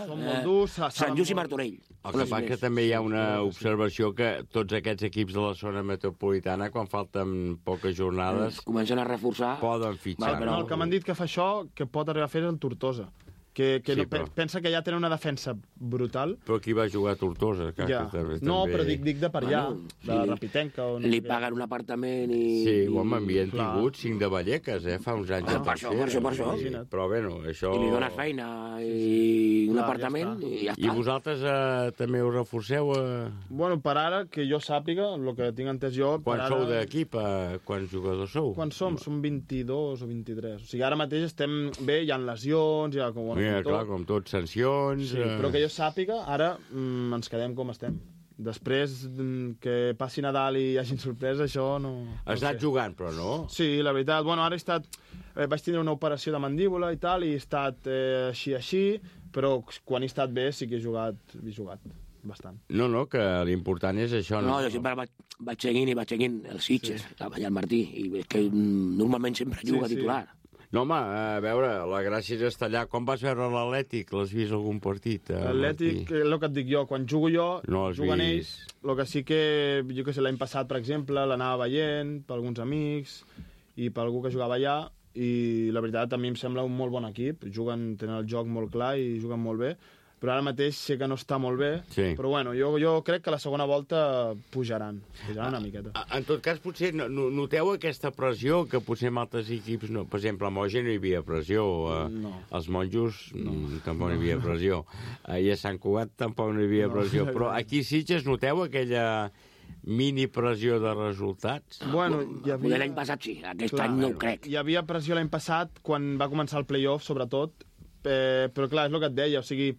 Speaker 8: Sant Just i Martorell.
Speaker 2: El que passa que també hi ha una observació que tots aquests equips de la zona metropolitana, quan falten poques jornades...
Speaker 8: Comencen a reforçar...
Speaker 2: Poden fitxar.
Speaker 16: El que m'han dit que fa això, que pot arribar a fer el Tortosa. Que pensa que ja tenen una defensa brutal.
Speaker 2: Però qui va jugar a Tortosa?
Speaker 16: No, però dic de per allà, de Rapitenca.
Speaker 8: Li paguen un apartament i...
Speaker 2: Sí, home, havien tingut 5 de Vallecas, fa uns anys.
Speaker 8: Per això.
Speaker 2: Però bé, això...
Speaker 8: I li dones feina i un apartament i ja està.
Speaker 2: I vosaltres també us reforceu?
Speaker 16: Bueno, per ara, que jo sàpiga, el que tinc entès jo...
Speaker 2: Quan sou d'equip? Quants jugadors sou?
Speaker 16: Quan som 22 o 23. O sigui, ara mateix estem bé, hi ha lesions, hi ha...
Speaker 2: Clar, com tot, sancions...
Speaker 16: Sí, però que jo sàpiga, ara ens quedem com estem. Després que passi Nadal i hi hagi sorpresa, això no...
Speaker 2: Has anat jugant, però no?
Speaker 16: Sí, la veritat. Bueno, ara he estat... Vaig tindre una operació de mandíbula i tal, i he estat així, però quan he estat bé sí que he jugat bastant.
Speaker 2: No, que l'important és això.
Speaker 8: No, jo sempre vaig seguint els Sitges, allà al Martí, i és que normalment sempre juga titular.
Speaker 2: No, home, a veure, la gràcia és estar allà. Com vas veure l'Atlètic? L'has vist algun partit?
Speaker 16: L'Atlètic, el que et dic jo, quan jugo jo, juguen ells. El que sí que, jo que sé, l'any passat, per exemple, l'anava veient per alguns amics i per algú que jugava allà, i la veritat a mi em sembla un molt bon equip. Tenen el joc molt clar i juguen molt bé. però ara mateix sé que no està molt bé, però bueno, jo crec que la segona volta pujaran una miqueta.
Speaker 2: En tot cas, potser noteu aquesta pressió que potser en altres equips no. Per exemple, a Moja no hi havia pressió, als Monjos tampoc no hi havia pressió, i a Sant Cugat tampoc no hi havia pressió, però aquí a Sitges noteu aquella mini pressió de resultats?
Speaker 8: Bueno, l'any passat sí, aquest any no ho crec.
Speaker 16: Hi havia pressió l'any passat, quan va començar el play-off, sobretot, però clar, és el que et deia, o sigui,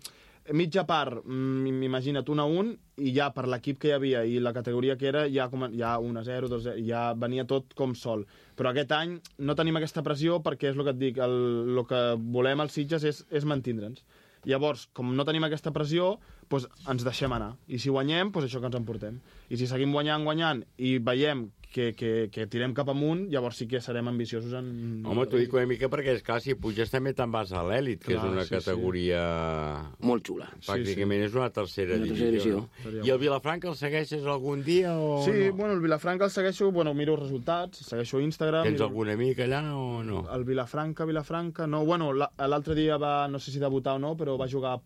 Speaker 16: mitja part, imagina't, 1-1, i ja per l'equip que hi havia i la categoria que era, ja 1-0, 2-0, ja venia tot com sol. Però aquest any no tenim aquesta pressió perquè és el que et dic, el que volem als Sitges és mantindre'ns. Llavors, com no tenim aquesta pressió, doncs ens deixem anar. I si guanyem, doncs això que ens emportem. I si seguim guanyant, i veiem que tirem cap amunt, llavors sí que serem ambiciosos en...
Speaker 2: Home, t'ho dic una mica perquè, esclar, si puges també te'n vas a l'èlit, que és una categoria...
Speaker 8: Molt xula.
Speaker 2: Pràcticament és una tercera divisió. I el Vilafranca el segueixes algun dia o no?
Speaker 16: Sí, bueno, el Vilafranca el segueixo, miro els resultats, segueixo Instagram...
Speaker 2: Tens algun amic allà o no?
Speaker 16: El Vilafranca, no. Bueno, l'altre dia va, no sé si debutar o no, però va jugar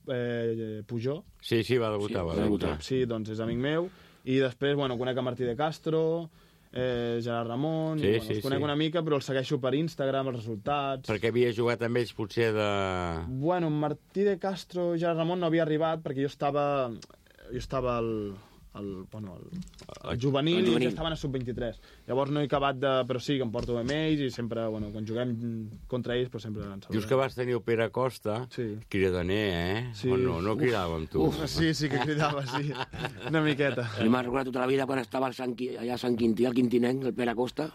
Speaker 16: Pujol.
Speaker 2: Sí, va debutar.
Speaker 16: Sí, doncs és amic meu. I després, bueno, conec a Martí de Castro, Gerard Ramon, els conec una mica, però els segueixo per Instagram, els resultats...
Speaker 2: Perquè havia jugat amb ells, potser, de...
Speaker 16: Bueno, Martí de Castro i Gerard Ramon no havia arribat perquè jo estava al juvenil i ells estaven a sub-23. Llavors no he acabat de... Però sí, que em porto amb ells i sempre, bueno, quan juguem contra ells, però sempre ens saludem.
Speaker 2: Dius que vas tenir el Pere Costa, cridaner,
Speaker 16: Sí.
Speaker 2: O no cridava amb tu?
Speaker 16: Sí que cridava, sí. Una miqueta.
Speaker 8: Jo m'ha recordat tota la vida quan estava allà a Sant Quintí, al Quintinenc, el Pere Costa...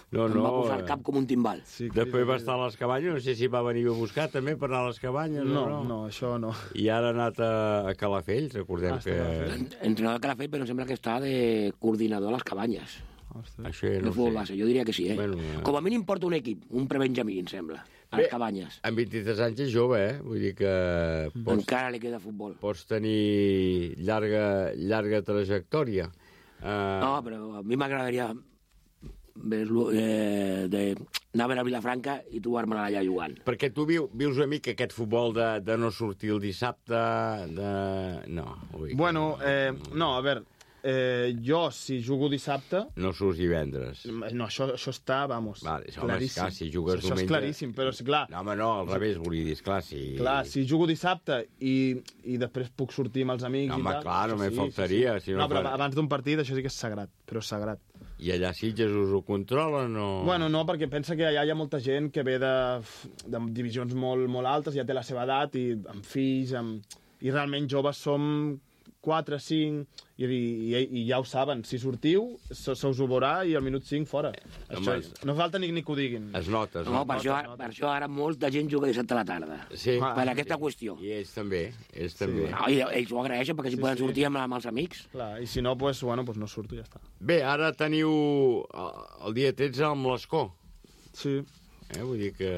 Speaker 2: Em
Speaker 8: va posar el cap com un timbal.
Speaker 2: Després va estar a les cabanyes, no sé si va venir a buscar també per anar a les cabanyes
Speaker 16: no, això no.
Speaker 2: I ara ha anat a Calafell, recordem que...
Speaker 8: Entrenador de Calafell, però sembla que està de coordinador a les cabanyes.
Speaker 2: Això no
Speaker 8: sé. Base. Jo diria que sí, Bueno, com a mínim porta un equip, un prebenjamí, em sembla, a les cabanyes.
Speaker 2: Amb 23 anys és jove, Vull dir que...
Speaker 8: Encara li queda futbol.
Speaker 2: Pots tenir llarga trajectòria.
Speaker 8: No, però a mi m'agradaria... anar a veure a Vilafranca i trobar-me allà jugant.
Speaker 2: Perquè tu vius una mica aquest futbol de no sortir el dissabte, No.
Speaker 16: Bueno, no, a veure, jo, si jugo dissabte...
Speaker 2: No surts divendres.
Speaker 16: No, això està, vamos,
Speaker 2: claríssim. Si jugues
Speaker 16: diumenge... Això és claríssim, però sí, clar...
Speaker 2: No, home, no, al revés, volia dir, esclar, si...
Speaker 16: Clar, si jugo dissabte i després puc sortir amb els amics i tal...
Speaker 2: Home, clar, no me faltaria.
Speaker 16: No, però abans d'un partit això sí que és sagrat, però és sagrat.
Speaker 2: I allà a Sitges us ho controlen o...?
Speaker 16: Bueno, no, perquè pensa que allà hi ha molta gent que ve de divisions molt altes, ja té la seva edat, i amb fills, i realment joves som 4, 5, i ja ho saben. Si sortiu, se us ho veurà i al minut 5 fora. No falta ni que ho diguin.
Speaker 2: Es nota.
Speaker 8: No, per això ara molta gent juga dissabte a la tarda.
Speaker 2: Sí.
Speaker 8: Per aquesta qüestió.
Speaker 2: I ells també.
Speaker 8: No, i ells ho agraeixen perquè si poden sortir amb els amics.
Speaker 16: Clar, i si no, doncs no surto i ja està.
Speaker 2: Bé, ara teniu el dia 13 amb l'Escó.
Speaker 16: Sí.
Speaker 2: Vull dir que...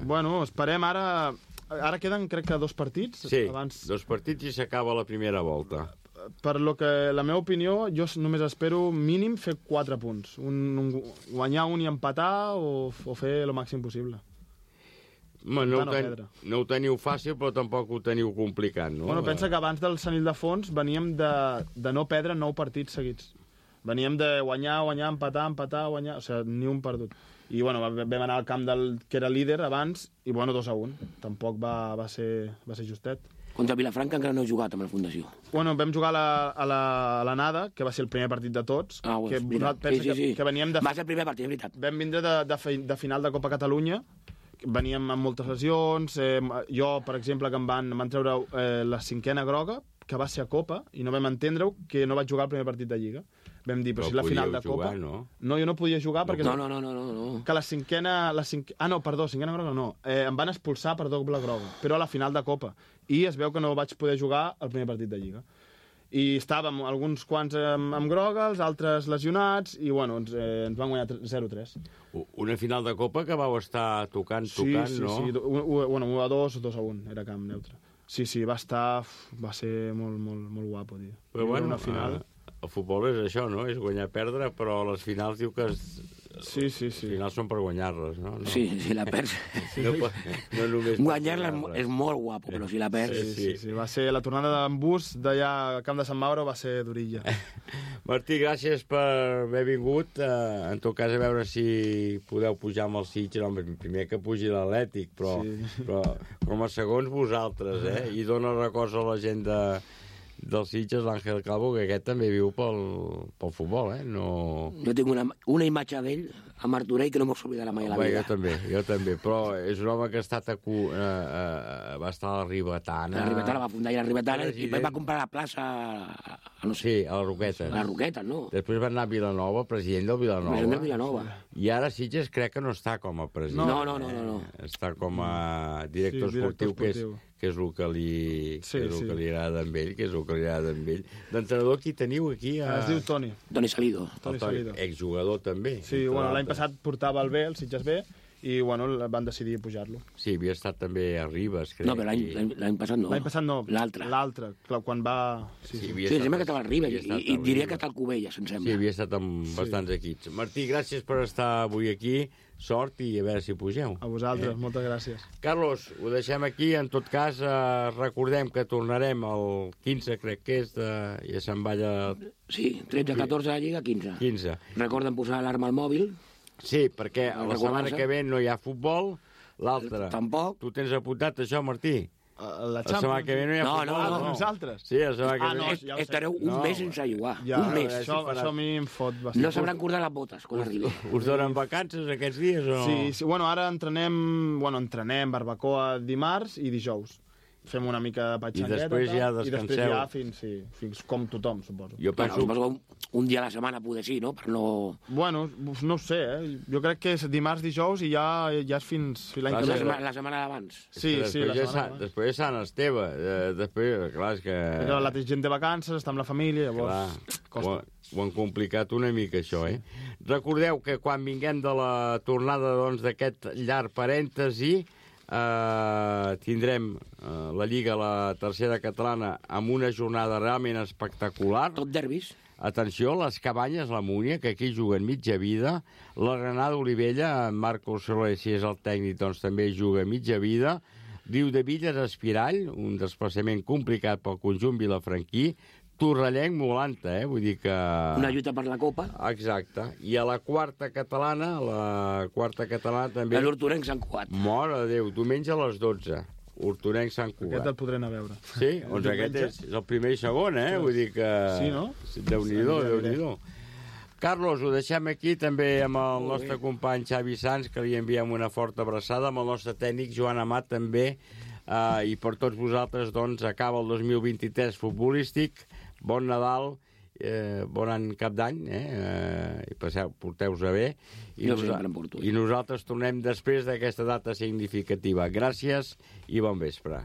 Speaker 16: Bueno, esperem ara... Ara queden, crec que 2 partits.
Speaker 2: Sí, 2 partits i s'acaba la primera volta.
Speaker 16: Per lo que la meva opinió, jo només espero mínim fer 4 punts. Guanyar un i empatar o fer el màxim possible.
Speaker 2: No ho teniu fàcil, però tampoc ho teniu complicat, no?
Speaker 16: Bueno, pensa que abans del Sant Ildefons veníem de no perdre 9 partits seguits. Veníem de guanyar, empatar, guanyar... O sigui, ni un perdut. I, bueno, vam anar al camp que era líder abans, i, bueno, 2-1. Tampoc va ser justet.
Speaker 8: Contra Vilafranca encara no he jugat amb la Fundació.
Speaker 16: Bueno, vam jugar a la Nada, que va ser el primer partit de tots.
Speaker 8: Sí.
Speaker 16: Que veníem
Speaker 8: va ser el primer partit, és veritat.
Speaker 16: Vam vindre de final de Copa Catalunya, veníem amb moltes lesions. Jo, per exemple, que em van treure la 5a groga, que va ser a Copa, i no vam entendre-ho, que no vaig jugar el primer partit de Lliga. Vam dir, però si la final de Copa...
Speaker 2: No,
Speaker 16: jo no podia jugar perquè...
Speaker 8: No.
Speaker 16: Que la 5a groga no. Em van expulsar per doble groga, però a la final de Copa. I es veu que no vaig poder jugar el primer partit de Lliga. I estàvem alguns quants amb groga, els altres lesionats, i bueno, ens van guanyar 0-3.
Speaker 2: Una final de Copa que vau estar tocant, no?
Speaker 16: Sí. 1-2 o 2-1, era camp neutre. Sí, va ser molt guapo, tio.
Speaker 2: Però bueno,
Speaker 16: una final...
Speaker 2: El futbol és això, no? És guanyar-perdre, però a les finals diu que
Speaker 16: Sí.
Speaker 2: Al final són per guanyar-les, no?
Speaker 8: Sí, si la perds...
Speaker 2: No només...
Speaker 8: Guanyar-la és molt guapo, però si la perds...
Speaker 16: Sí. Va ser la tornada d'en Bus d'allà al camp de Sant Mauro, va ser durilla.
Speaker 2: Martí, gràcies per haver vingut. En tot cas, a veure si podeu pujar amb el Sitges. Primer que pugi l'Atlètic, però com a segons vosaltres, I dona records a la gent del Sitges, l'Àngel Calvo, que aquest també viu pel futbol,
Speaker 8: Jo tinc una imatge d'ell a Martorell que no m'ho oblidarà mai a la vida.
Speaker 2: Jo també, però és un home que ha estat va estar a la Ribetana.
Speaker 8: La Ribetana va fundar la Ribetana i va comprar la plaça...
Speaker 2: Sí, a la Roqueta.
Speaker 8: A la Roqueta, no?
Speaker 2: Després va anar a Vilanova, president del Vilanova.
Speaker 8: President del Vilanova.
Speaker 2: I ara Sitges crec que no està com a president.
Speaker 8: No.
Speaker 2: Està com a director esportiu, que és el que li agrada amb ell, D'entrenador, qui teniu aquí?
Speaker 16: Es diu Toni.
Speaker 8: Toni Salido.
Speaker 2: Exjugador també.
Speaker 16: Sí, l'any passat portava el B, el Sitges B, i van decidir pujar-lo.
Speaker 2: Sí, havia estat també a Ribes, crec.
Speaker 8: No, però l'any passat no.
Speaker 16: L'any passat no. L'altre, quan va...
Speaker 8: Sí, sembla que estava a Ribes, i diria que està al Cubelles, em sembla.
Speaker 2: Sí, havia estat amb bastants equips. Martí, gràcies per estar avui aquí. Sort i a veure si pugeu.
Speaker 16: A vosaltres, moltes gràcies.
Speaker 2: Carlos, ho deixem aquí. En tot cas, recordem que tornarem el 15, crec que és, ja se'n va allà...
Speaker 8: Sí, 13-14 de la Lliga, 15. Recorden posar l'alarma al mòbil.
Speaker 2: Sí, perquè la setmana que ve no hi ha futbol, l'altra...
Speaker 8: Tampoc.
Speaker 2: Tu tens apuntat això, Martí?
Speaker 16: La
Speaker 2: setmana que ve no hi ha futbol.
Speaker 16: No. Nosaltres?
Speaker 2: Sí, la setmana que ve.
Speaker 8: Estareu un mes sense jugar. Un mes.
Speaker 16: Això a mi em fot bastant.
Speaker 8: No s'hauran cordat les botes quan arribi.
Speaker 2: Us donen vacances aquests dies o...?
Speaker 16: Sí, ara entrenem barbacoa dimarts i dijous. Fem una mica de patxangueta.
Speaker 2: I després ja descanseu.
Speaker 16: I després ja fins com tothom, suposo.
Speaker 2: Jo penso...
Speaker 8: Un dia a la setmana poder sí, no? Per no...
Speaker 16: Bueno, no ho sé, Jo crec que és dimarts, dijous i ja és fins l'any que ve.
Speaker 8: La setmana d'abans.
Speaker 16: Sí, la setmana d'abans.
Speaker 2: Després és Sant Esteve. Després, clar, és que...
Speaker 16: Però la gent de vacances, està amb la família, llavors...
Speaker 2: Ho han complicat una mica, això, Recordeu que quan vinguem de la tornada d'aquest llarg parèntesi, tindrem la Lliga, la tercera catalana, amb una jornada realment espectacular.
Speaker 8: Tot derbis.
Speaker 2: Atenció, les Cabanyes, la Múnia, que aquí juguen mitja vida. La Granada Olivella, en Marcos Soler, si és el tècnic, doncs també juga mitja vida. Riu de Villes, Espirall, un desplaçament complicat pel conjunt vilafranquí. Torrellenc, Molanta, vull dir que...
Speaker 8: Una lluita per la Copa.
Speaker 2: Exacte. I a la quarta catalana també...
Speaker 8: L'Hortonenc Sant Cugat.
Speaker 2: Mare de Déu, diumenge a les 12. Hortonenc Sant Cugat.
Speaker 16: Aquest el podré anar a veure.
Speaker 2: Sí? Doncs aquest és el primer i segon, Vull dir que...
Speaker 16: Sí, no?
Speaker 2: Déu-n'hi-do. Carlos, ho deixem aquí també amb el nostre company Xavi Sans, que li enviem una forta abraçada, amb el nostre tècnic Joan Amat també, i per tots vosaltres, doncs, acaba el 2023 futbolístic. Bon Nadal, bon any cap d'any, i porteu-vos bé. I nosaltres tornem després d'aquesta data significativa. Gràcies i bon vespre.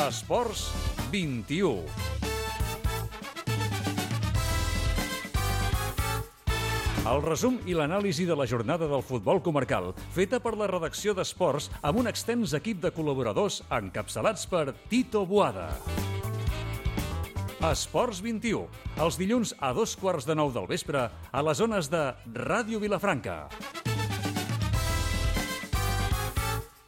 Speaker 1: Esports 21. El resum i l'anàlisi de la jornada del futbol comarcal, feta per la redacció d'Esports amb un extens equip de col·laboradors encapçalats per Tito Boada. Esports 21, els dilluns a 2:15 del vespre a les zones de Ràdio Vilafranca.